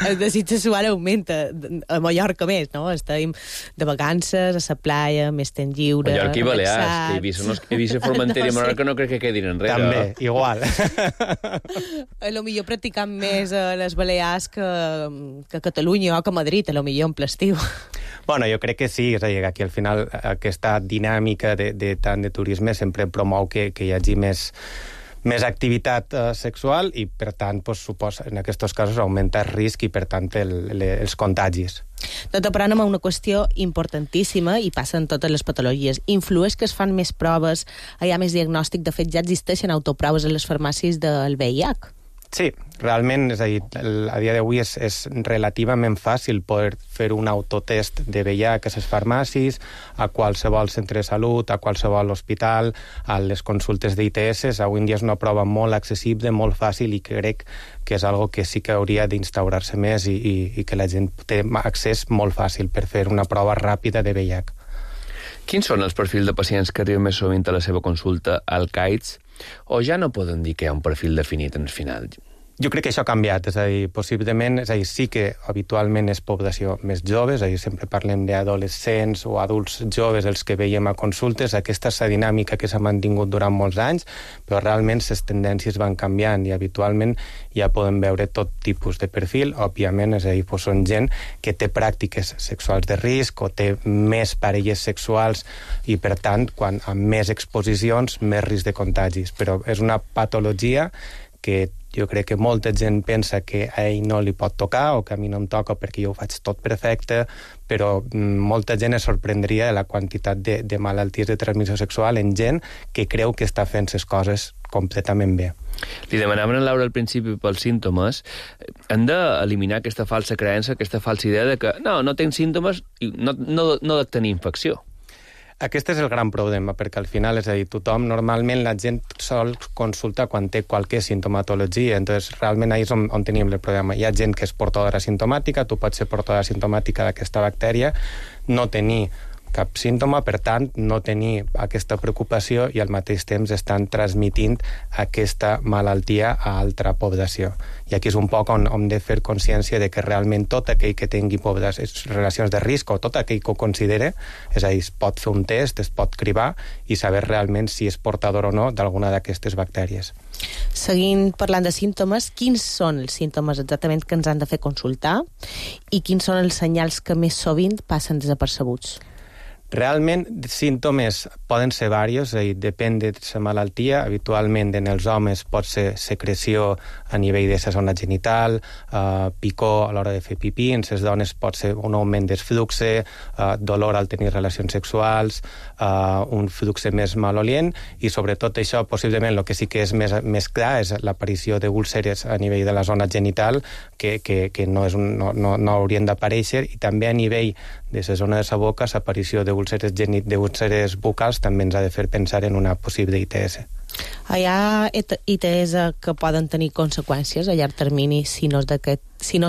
el desig sexual augmenta. A Mallorca més, no? Estem de vacances, a la playa, més temps lliure, Mallorca i Balears, que Eivissa, Formentera i Menorca no crec que quedin enrere. També, igual. A lo millor practicant més a les Balears que a Catalunya o que a Madrid, a lo millor en l'estiu. Bueno, jo crec que sí, és a dir, aquí al final aquesta dinàmica tant de turisme sempre promou que hi hagi més activitat sexual i, per tant, suposa, en aquests casos augmenta el risc i, per tant, els contagis. Doctor, però anem a una qüestió importantíssima i passa en totes les patologies. Influeix que es fan més proves, hi ha més diagnòstic, de fet ja existeixen autoproves a les farmàcies del VIH? Sí, realment, és a dir, a dia d'avui és relativament fàcil poder fer un autotest de VIH a les farmàcies, a qualsevol centre de salut, a qualsevol hospital, a les consultes d'ITS. Avui en dia és una prova molt accessible, molt fàcil, i crec que és algo que sí que hauria d'instaurar-se més i que la gent té accés molt fàcil per fer una prova ràpida de VIH. Quins són els perfils de pacients que arriben més sovint a la seva consulta al CAIDS? O ja no poden dir que hi ha un perfil definit en el final? Jo crec que això ha canviat, és a dir, possiblement, sí que habitualment és població més jove, és a dir, sempre parlem d'adolescents o adults joves els que veiem a consultes. Aquesta és la dinàmica que s'ha mantingut durant molts anys, però realment les tendències van canviant i habitualment ja podem veure tot tipus de perfil. Òbviament, és a dir, són gent que té pràctiques sexuals de risc o té més parelles sexuals i, per tant, quan amb més exposicions, més risc de contagis. Però és una patologia que jo crec que molta gent pensa que a ell no li pot tocar o que a mi no em toca perquè jo ho faig tot perfecte, però molta gent es sorprendria de la quantitat de malalties de transmissió sexual en gent que creu que està fent les coses completament bé. Li demanaven a Laura al principi pels símptomes. Hem d'eliminar aquesta falsa creença, aquesta falsa idea de que no tens símptomes i no de tenir infecció. Aquest és el gran problema, perquè al final, és a dir, normalment la gent sol consultar quan té qualque sintomatologia, entonces realment ahí és on tenim el problema. Hi ha gent que és portadora simptomàtica, tu pots ser portadora simptomàtica d'aquesta bactèria, no tenir cap símptoma, per tant, no tenir aquesta preocupació i al mateix temps estan transmitint aquesta malaltia a altra població. I aquí és un poc on hem de fer consciència de que realment tot aquell que tingui relacions de risc o tot aquell que ho considere, és a dir, es pot fer un test, es pot cribar i saber realment si és portador o no d'alguna d'aquestes bactèries. Seguint parlant de símptomes, quins són els símptomes exactament que ens han de fer consultar i quins són els senyals que més sovint passen desapercebuts? Realment, símptomes poden ser diversos, és a dir, depèn de la malaltia. Habitualment, en els homes pot ser secreció a nivell de la zona genital, picor a l'hora de fer pipí, en les dones pot ser un augment del flux, dolor al tenir relacions sexuals, un flux més malolient, i sobretot això, possiblement, el que sí que és més clar és l'aparició d'úlceres a nivell de la zona genital, que no haurien d'aparèixer, i també a nivell de la zona de la boca, l'aparició d'úlceres bucals també ens ha de fer pensar en una possible ITS. Hi ha ITS que poden tenir conseqüències a llarg termini si no es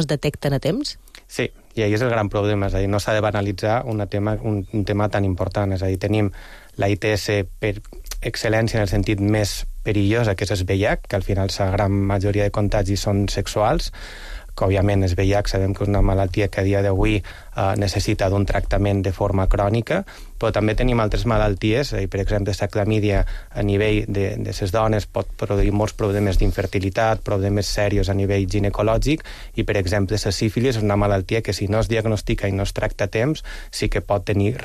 detecten a temps? Sí, i ahí és el gran problema, és a dir, no s'ha de banalitzar un tema tan important, és a dir, tenim la ITS per excel·lència en el sentit més perillós, que és el VIH, que al final la gran majoria de contagis són sexuals, que òbviament el VIH sabem que és una malaltia que a dia d'avui necessita d'un tractament de forma crònica, però també tenim altres malalties, per exemple, la clamídia a nivell de les dones pot produir molts problemes d'infertilitat, problemes serios a nivell ginecològic, i per exemple la sífilis és una malaltia que si no es diagnostica i no es tracta a temps sí que pot tenir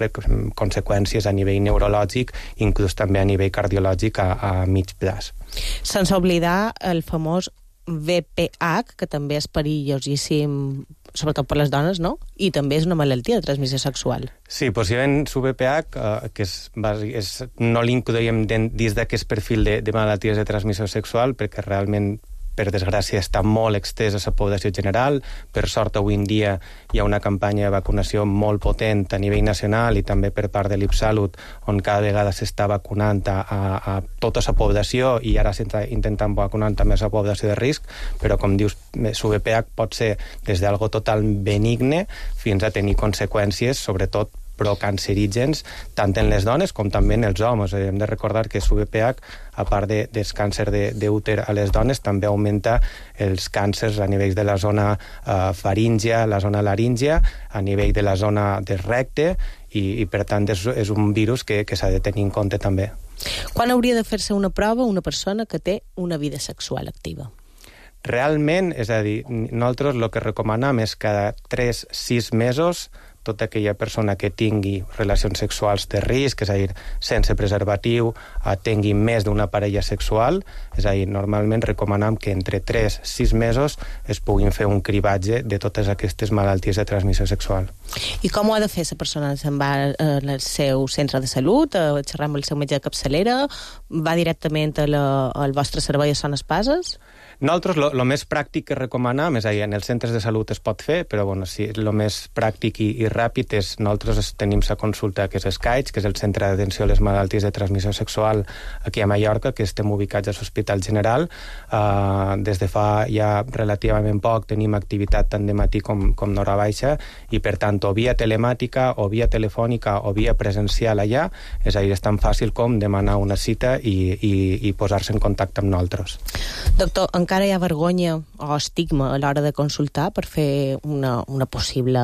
conseqüències a nivell neurològic, inclús també a nivell cardiològic a mig plaç. Sense oblidar el famós VPH, que també és perillosíssim, sobretot per les dones, no? I també és una malaltia de transmissió sexual. Sí, possiblement VPH, que no l'incloïm dins d'aquest perfil de malalties de transmissió sexual, perquè realment, per desgràcia, està molt extès a la població general. Per sort, avui en dia hi ha una campanya de vacunació molt potent a nivell nacional i també per part de l'IPSalut, on cada vegada s'està vacunant a tota la població i ara s'està intentant vacunar també a la població de risc, però, com dius, VPH pot ser des d'algo total benigne fins a tenir conseqüències, sobretot procancerígens, tant en les dones com també en els homes. Hem de recordar que l'UVPH, a part del càncer d'úter a les dones, també augmenta els càncers a nivell de la zona faríngia, la zona laríngia, a nivell de la zona del recte, i per tant és un virus que s'ha de tenir en compte també. Quan hauria de fer-se una prova una persona que té una vida sexual activa? Realment, és a dir, nosaltres el que recomanem és cada 3-6 mesos tota aquella persona que tingui relacions sexuals de risc, és a dir, sense preservatiu, tingui més d'una parella sexual, és a dir, normalment recomanem que entre 3-6 mesos es puguin fer un cribatge de totes aquestes malalties de transmissió sexual. I com ho ha de fer la persona? Se'n va al seu centre de salut, a xerrar amb el seu metge de capçalera, va directament al vostre servei a Son Espases? Nosaltres el més pràctic que recomanem, és a dir, en els centres de salut es pot fer, però bueno, sí, el més pràctic i ràpid és nosaltres tenim la consulta que és SCAIDS, que és el Centre d'Atenció a les Malalties de Transmissió Sexual aquí a Mallorca, que estem ubicats a l'Hospital General. Des de fa ja relativament poc tenim activitat tant de matí com d'hora baixa, i per tant o via telemàtica, o via telefònica, o via presencial allà, és a dir, és tan fàcil com demanar una cita i posar-se en contacte amb nosaltres. Doctor, encara hi ha vergonya o estigma a l'hora de consultar per fer una possible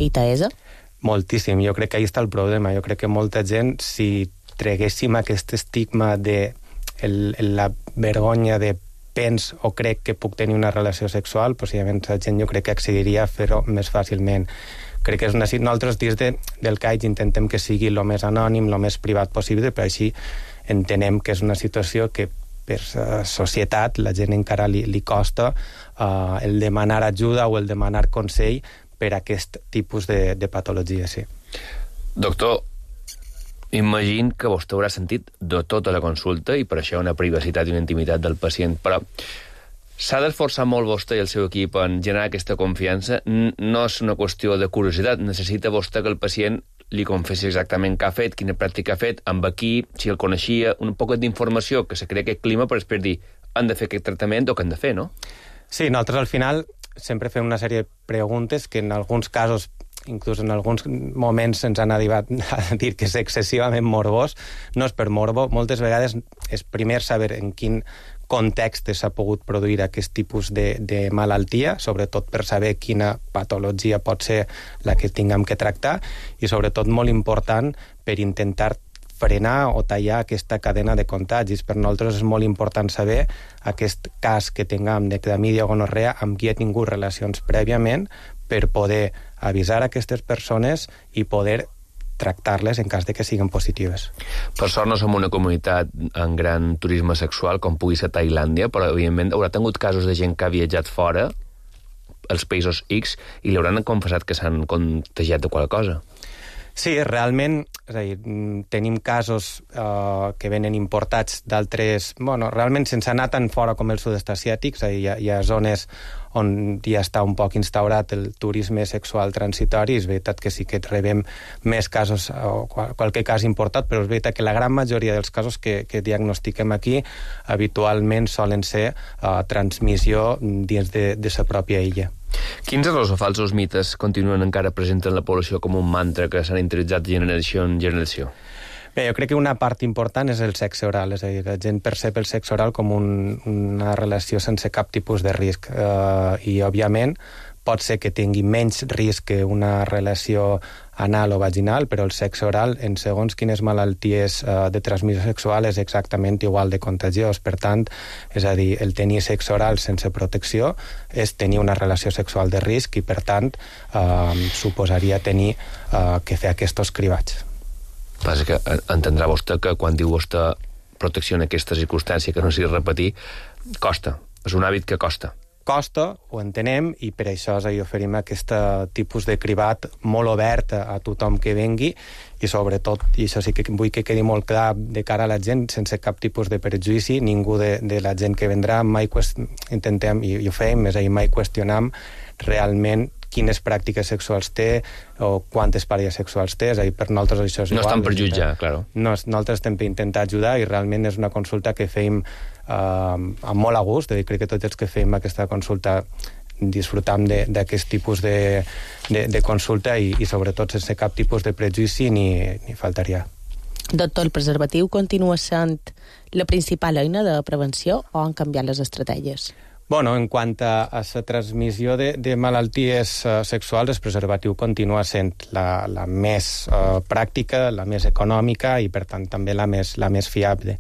ITS? Moltíssim. Jo crec que ahí està el problema. Jo crec que molta gent, si treguéssim aquest estigma de la vergonya de pens o crec que puc tenir una relació sexual, possiblement la gent jo crec que accediria a fer-ho més fàcilment. Crec que és nosaltres dins del CAIDS intentem que sigui el més anònim, el més privat possible, però així entenem que és una situació que per societat la gent encara li costa el demanar ajuda o el demanar consell per a aquest tipus de patologia, sí. Doctor, imagino que vostè haurà sentit de tota la consulta i per això una privacitat i una intimitat del pacient, però s'ha d'esforçar molt vostè i el seu equip en generar aquesta confiança. No és una qüestió de curiositat, necessita vostè que el pacient li confessi exactament què ha fet, quina pràctica ha fet, amb qui, si el coneixia, un poc d'informació que se crea aquest clima per després dir han de fer aquest tractament o què han de fer, no? Sí, nosaltres al final sempre fem una sèrie de preguntes que en alguns casos, inclús en alguns moments ens han arribat a dir que és excessivament morbós. No és per morbo, moltes vegades és primer saber en quin context s'ha pogut produir aquest tipus de malaltia, sobretot per saber quina patologia pot ser la que tinguem que tractar, i sobretot molt important per intentar frenar o tallar aquesta cadena de contagis. Per nosaltres és molt important saber aquest cas que tinguem de clamídia o gonorrea amb qui ha tingut relacions prèviament per poder avisar aquestes persones i poder tractar-les en cas de que siguin positives. Per sort no som una comunitat en gran turisme sexual com pugui ser Tailàndia, però evidentment haurà tingut casos de gent que ha viatjat fora als països X i li hauran confessat que s'han contagiat de qualque cosa. Sí, realment, és a dir, tenim casos que venen importats d'altres... Bueno, realment sense anar tan fora com el sud-est asiàtic, és a dir, hi ha zones on ja està un poc instaurat el turisme sexual transitori. És veritat que sí que rebem més casos, o qualque cas importat, però és veritat que la gran majoria dels casos que diagnostiquem aquí habitualment solen ser transmissió dins de la pròpia illa. Quins errors o falsos mites continuen encara presents en la població com un mantra que s'han interioritzat generació en generació? Bé, jo crec que una part important és el sexe oral, és a dir, la gent percep el sexe oral com una relació sense cap tipus de risc, i òbviament pot ser que tingui menys risc que una relació anal o vaginal, però el sexe oral, en segons quines malalties de transmissió sexual, és exactament igual de contagiós. Per tant, és a dir, el tenir sexe oral sense protecció és tenir una relació sexual de risc i, per tant, suposaria tenir que fer aquests cribats. Passa que entendrà vostè que quan diu vostè protecció en aquesta circumstància, que no sigui repetir, costa. És un hàbit que costa. Costa, ho entenem, i per això oferim aquest tipus de cribat molt obert a tothom que vengui, i sobretot, i això sí que vull que quedi molt clar de cara a la gent, sense cap tipus de prejudici, ningú de la gent que vendrà mai intentem, i ho fem, és a dir, mai qüestionam realment quines pràctiques sexuals té o quantes parelles sexuals té, és a dir, per nosaltres això és igual. No estan per jutjar, clar. Nosaltres estem per intentar ajudar i realment és una consulta que fem amb molt a gust, crec que tots els que fem aquesta consulta disfrutam d'aquest tipus de consulta i sobretot sense cap tipus de prejudici ni faltaria. Doctor, el preservatiu continua sent la principal eina de prevenció o han canviat les estratègies? Bueno, en quant a la transmissió de malalties sexuals, el preservatiu continua sent la més pràctica, la més econòmica i, per tant, també la més fiable.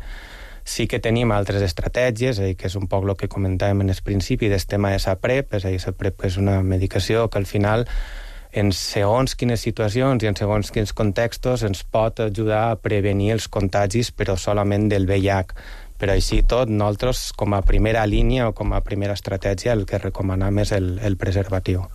Sí que tenim altres estratègies, que és un poc el que comentàvem en el principi del tema de la PrEP, és a dir, la PrEP és una medicació que al final en segons quines situacions i en segons quins contextos ens pot ajudar a prevenir els contagis, però solament del VIH. Però així tot, nosaltres, com a primera línia o com a primera estratègia, el que recomanem és el preservatiu.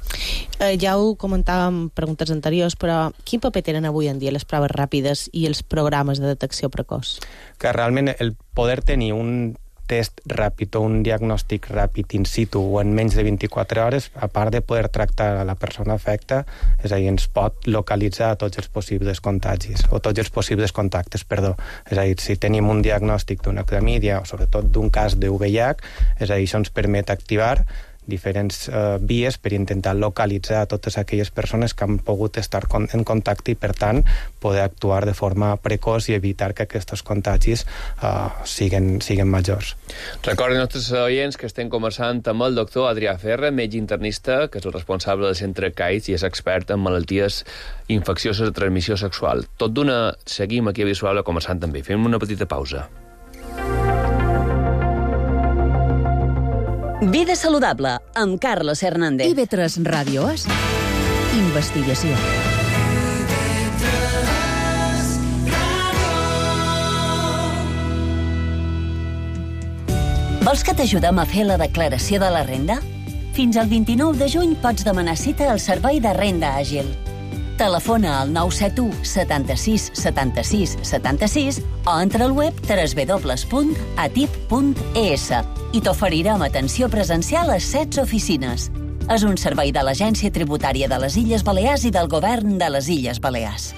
Ja ho comentàvem en preguntes anteriors, però quin paper tenen avui en dia les proves ràpides i els programes de detecció precoç? Que realment el poder tenir un test ràpid o un diagnòstic ràpid in situ o en menys de 24 hores, a part de poder tractar a la persona afecta, és a dir, ens pot localitzar tots els possibles contagis o tots els possibles contactes, perdó. És a dir, si tenim un diagnòstic d'una clamídia o sobretot d'un cas de VIH, és a dir, això ens permet activar diferents vies per intentar localitzar totes aquelles persones que han pogut estar en contacte i, per tant, poder actuar de forma precoç i evitar que aquests contagis siguin majors. Recordin als nostres oients que estem conversant amb el doctor Adrià Ferra, metge internista, que és el responsable del centre CAITS i és expert en malalties infeccioses de transmissió sexual. Tot d'una, seguim aquí a Vida Saludable conversant també. Fem una petita pausa. Vida saludable, amb Carlos Hernández. IB3 Ràdio és investigació. Vols que t'ajudem a fer la declaració de la renda? Fins al 29 de juny pots demanar cita al Servei de Renda Àgil. Telefona al 971 76 76 76 o entra al web www.atip.es i t'oferirem atenció presencial a 16 oficines. És un servei de l'Agència Tributària de les Illes Balears i del Govern de les Illes Balears.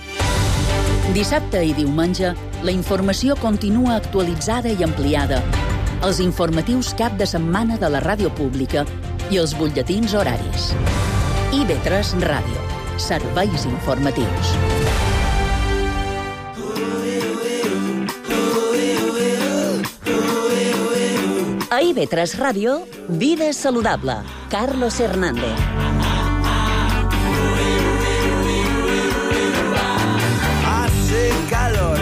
Dissabte i diumenge, la informació continua actualitzada i ampliada. Els informatius cap de setmana de la ràdio pública i els butlletins horaris. IB3 Ràdio. Serveis informatius. A IB3 Ràdio, Vida Saludable. Carlos Hernández. Hace calor.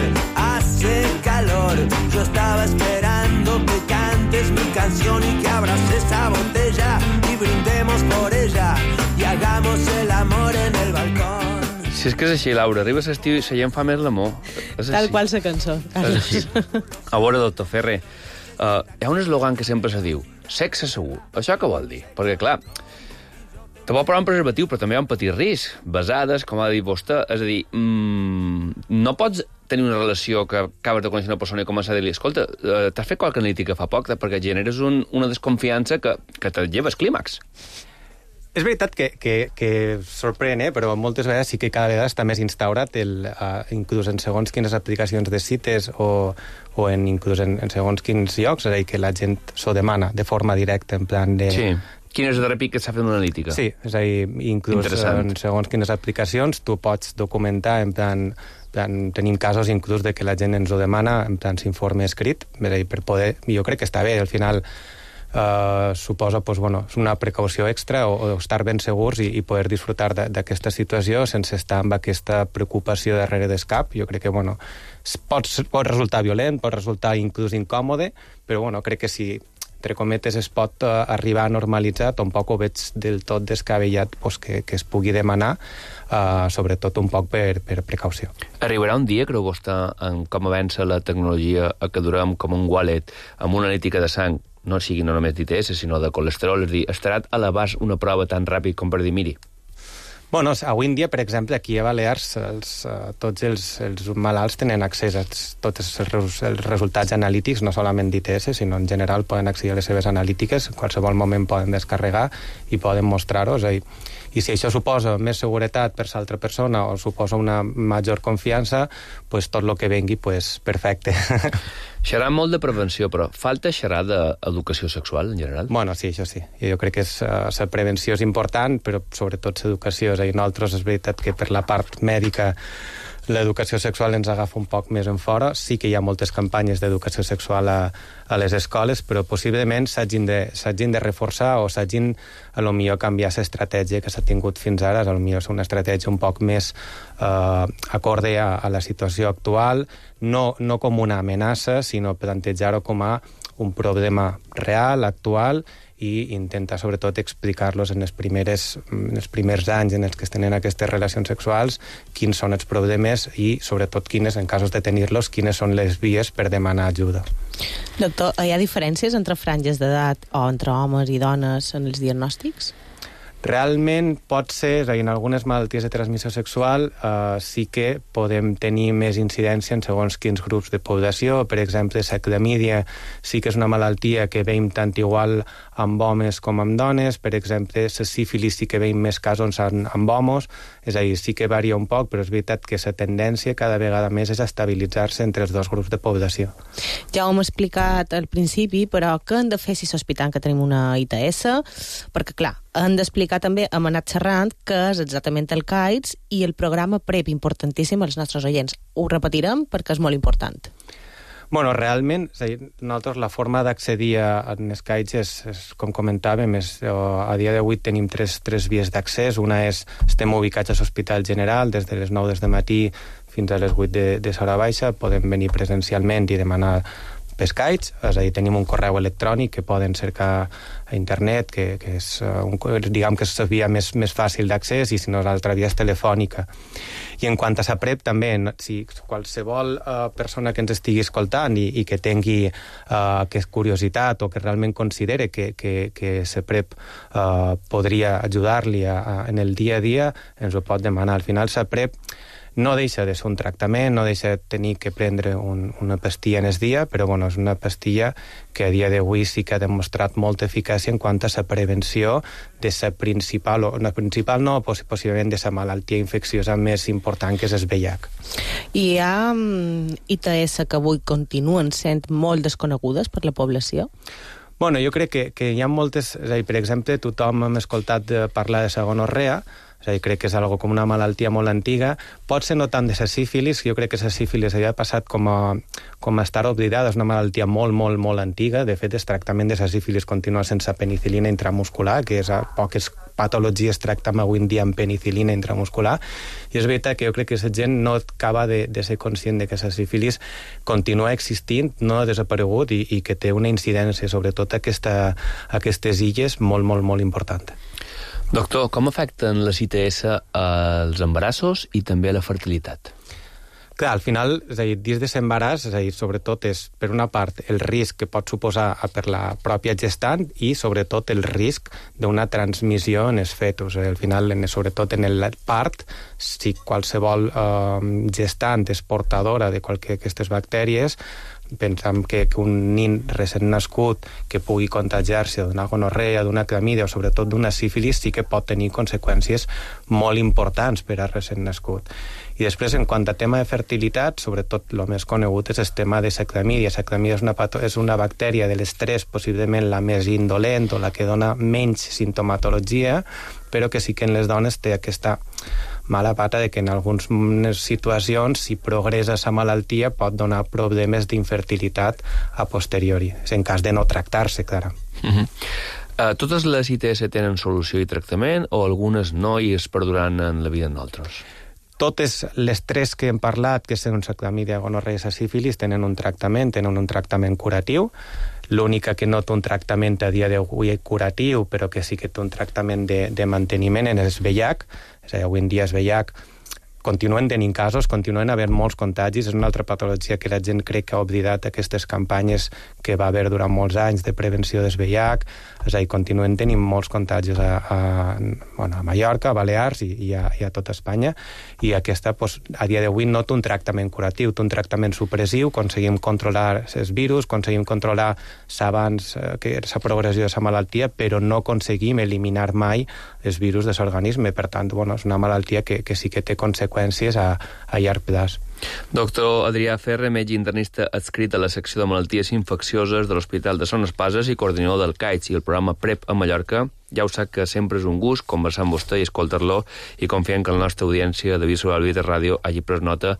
Yo estaba esperando que cantes mi canción y que abras esa botella y brindemos por ella y hagamos el amor en el balcón. Si és que és així, Laura, arriba l'estiu i la gent fa més l'amor. Tal qual la cançó. És així. A veure, doctor Ferrer, hi ha un eslògan que sempre se diu, sexe segur. Això què vol dir? Perquè, clar, te pot posar un preservatiu, però també hi ha un petit risc. Besades, com ha dit vostè, és a dir, no pots tenir una relació que acabes de conèixer una persona i començar a dir-li, escolta, t'has fet qualque analítica fa poc, perquè generes una desconfiança que te lleves clímax. És veritat que sorprèn, però moltes vegades sí que cada vegada està més instaurat, inclús en segons quines aplicacions de cites o inclús en segons quins llocs, és a dir, que la gent s'ho demana de forma directa, en plan de... Sí. Quin és el darrer pic que s'ha fet una analítica? Sí, és a dir, inclús en segons quines aplicacions tu pots documentar, en plan, tenim casos inclús de que la gent ens ho demana, en plan s'informe escrit, és a dir, per poder... Jo crec que està bé, al final... suposa és una precaució extra o estar ben segurs i poder disfrutar d'aquesta situació sense estar amb aquesta preocupació darrere del cap. Jo crec que pot resultar violent, pot resultar inclús incòmode, però crec que si entre cometes es pot arribar a normalitzar, tampoc ho veig del tot descabellat que es pugui demanar, sobretot un poc per precaució. Arribarà un dia, creu vostè, en com avança la tecnologia, a que durem com un wallet amb una analítica de sang, no sigui no només d'ITS, sinó de colesterol, és a dir, estarà a l'abast una prova tan ràpid com per dir, miri. Avui en dia, per exemple, aquí a Balears, tots els malalts tenen accés a tots els resultats analítics, no solament d'ITS, sinó en general poden accedir a les seves analítiques, en qualsevol moment poden descarregar i poden mostrar-ho. I si això suposa més seguretat per l'altra persona o suposa una major confiança, tot el que vengui, perfecte. Xerrar molt de prevenció, però falta xerrar d'educació sexual, en general? Bueno, sí, això sí. Jo crec que la prevenció és important, però sobretot l'educació. És a dir, nosaltres és veritat que per la part mèdica l'educació sexual ens agafa un poc més en fora. Sí que hi ha moltes campanyes d'educació sexual a les escoles, però possiblement s'hagin de reforçar o s'hagin, a lo millor, canviar l'estratègia que s'ha tingut fins ara. A lo millor és una estratègia un poc més acorde a la situació actual, no com una amenaça, sinó plantejar-ho com a un problema real, actual, i intentar sobretot explicar-los en els primers anys en els que es tenen aquestes relacions sexuals quins són els problemes i sobretot quines, en casos de tenir-los, quines són les vies per demanar ajuda. Doctor, hi ha diferències entre franges d'edat o entre homes i dones en els diagnòstics? Realment pot ser, en algunes malalties de transmissió sexual sí que podem tenir més incidència en segons quins grups de població. Per exemple, la clamídia sí que és una malaltia que veiem tant igual amb homes com amb dones. Per exemple, la sífilis sí que veiem més casos amb homes, és a dir, sí que varia un poc, però és veritat que la tendència cada vegada més és a estabilitzar-se entre els dos grups de població. Ja ho hem explicat al principi, però què hem de fer si sospitem que tenim una ITS? Perquè, clar, hem d'explicar també, hem anat xerrant, què és exactament el CAIDS i el programa PrEP, importantíssim als nostres oients. Ho repetirem perquè és molt important. Bueno, realment, és a dir, nosaltres la forma d'accedir a les CAIDS és, com comentàvem, a dia d'avui tenim tres vies d'accés. Una és, estem ubicats a l'Hospital General, des de les 9 del matí fins a les 8 de l'hora baixa, podem venir presencialment i demanar pescaits, és a dir, tenim un correu electrònic que poden cercar a internet, que és, diguem que és la via més fàcil d'accés, i si no, l'altra via és telefònica. I en quant a la PrEP, també, si qualsevol persona que ens estigui escoltant i que tingui curiositat o que realment considere que la PrEP podria ajudar-li en el dia a dia, ens ho pot demanar. Al final, la PrEP no deixa de ser un tractament, no deixa de tenir que prendre una pastilla en el dia, però bueno, és una pastilla que a dia d'avui sí que ha demostrat molta eficàcia en quant a la prevenció de la principal, o la principal no, possiblement de la malaltia infecciosa més important, que és el VIH. Hi ha ITS que avui continuen sent molt desconegudes per la població? Bueno, jo crec que hi ha moltes... És a dir, per exemple, tothom hem escoltat parlar de la gonorrea, és a dir, crec que és algo com una malaltia molt antiga. Pot ser no tant de la sífilis, jo crec que la sífilis havia passat com a estar oblidada, és una malaltia molt, molt, molt antiga. De fet, el tractament de la sífilis continua sense penicil·lina intramuscular, que és a poques patologies tractem avui en dia amb penicil·lina intramuscular, i és veritat que jo crec que la gent no acaba de ser conscient de que la sífilis continua existint, no ha desaparegut, i que té una incidència, sobretot aquestes illes, molt, molt, molt important. Doctor, com afecten les ITS als embarassos i també a la fertilitat? Clar, al final, és a dir, dins de l'embaràs, és a dir, sobretot és, per una part, el risc que pot suposar per la pròpia gestant i, sobretot, el risc d'una transmissió en els fetus. Al final, sobretot en el part, si qualsevol gestant és portadora de qualsevol d'aquestes bactèries, pensem que un nin recent nascut que pugui contagiar-se d'una gonorrea, d'una clamídia o sobretot d'una sífilis sí que pot tenir conseqüències molt importants per a recent nascut. I després, en quant a tema de fertilitat, sobretot el més conegut és el tema de la clamídia. La clamídia és una bactèria de les tres, possiblement la més indolent o la que dona menys sintomatologia, però que sí que en les dones té aquesta mala pata de que en algunes situacions, si progressa la malaltia, pot donar problemes d'infertilitat a posteriori, en cas de no tractar-se, clar. Totes les ITS tenen solució i tractament, o algunes no i es perduraran en la vida en altres? Totes les tres que hem parlat, que són la clamídia, gonorrea i la sífilis, tenen un tractament curatiu. L'única que no té un tractament a dia d'avui curatiu, però que sí que té un tractament de manteniment, és el VIH. És a dir, avui en dia el VIH continuen tenint casos, continuen havent molts contagis. És una altra patologia que la gent crec que ha oblidat aquestes campanyes que va haver durant molts anys de prevenció del VIH. És a dir, continuen tenint molts contagis a Mallorca, a Balears i a tota Espanya. I aquesta, a dia d'avui, no té un tractament curatiu, té un tractament supressiu, aconseguim controlar els virus, aconseguim controlar l'abans, la progressió de la malaltia, però no aconseguim eliminar mai els virus de l'organisme. Per tant, és una malaltia que sí que té conseqüències a llarg plaç. Doctor Adrià Ferre, metge internista adscrit a la secció de malalties infeccioses de l'Hospital de Son Espases i coordinador del CAITS i el programa PrEP a Mallorca. Ja ho sap que sempre és un gust conversar amb vostè i escoltar-lo, i confiem que la nostra audiència de Vida Saludable i de Ràdio hagi pres nota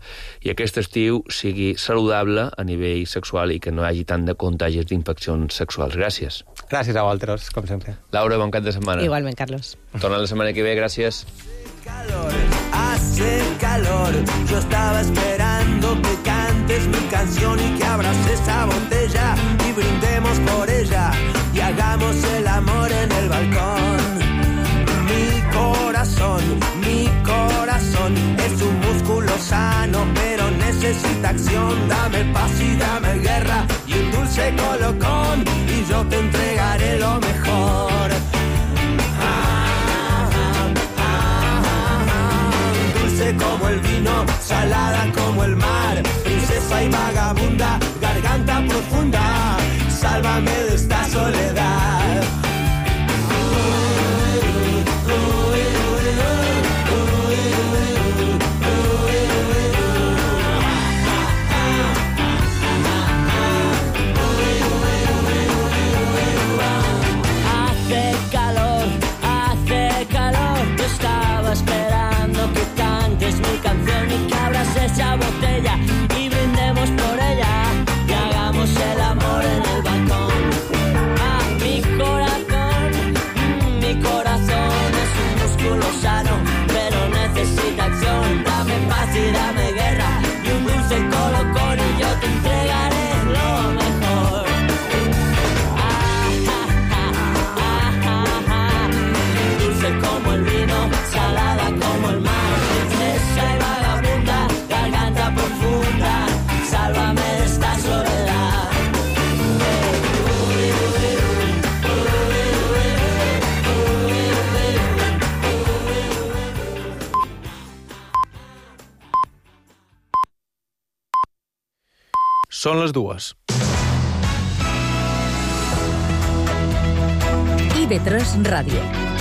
i aquest estiu sigui saludable a nivell sexual i que no hi hagi tant de contagis d'infeccions sexuals. Gràcies. Gràcies a vosaltres, com sempre. Laura, bon cap de setmana. Igualment, Carlos. Torna la setmana que ve, gràcies. Hace calor, yo estaba esperando que cantes mi canción y que abras esa botella y brindemos por ella y hagamos el amor en el balcón. Mi corazón es un músculo sano, pero necesita acción. Dame paz y dame guerra y un dulce colocón y yo te entregaré lo mejor. Como el vino, salada como el mar, princesa y vagabunda, garganta profunda, sálvame de esta soledad. Hace calor, yo estaba esperando que cantes mi canción y que abras esa botella y brindemos por ella y hagamos el amor en el balcón. Mi corazón es un músculo sano, pero necesita acción. Dame paz y dame guerra y un dulce colocón y yo te entregaré lo mejor. Dulce como el vino, salada como el mar, princesa y vagabunda, garganta profunda, sálvame de esta soledad. Són les 2. IB3 Ràdio.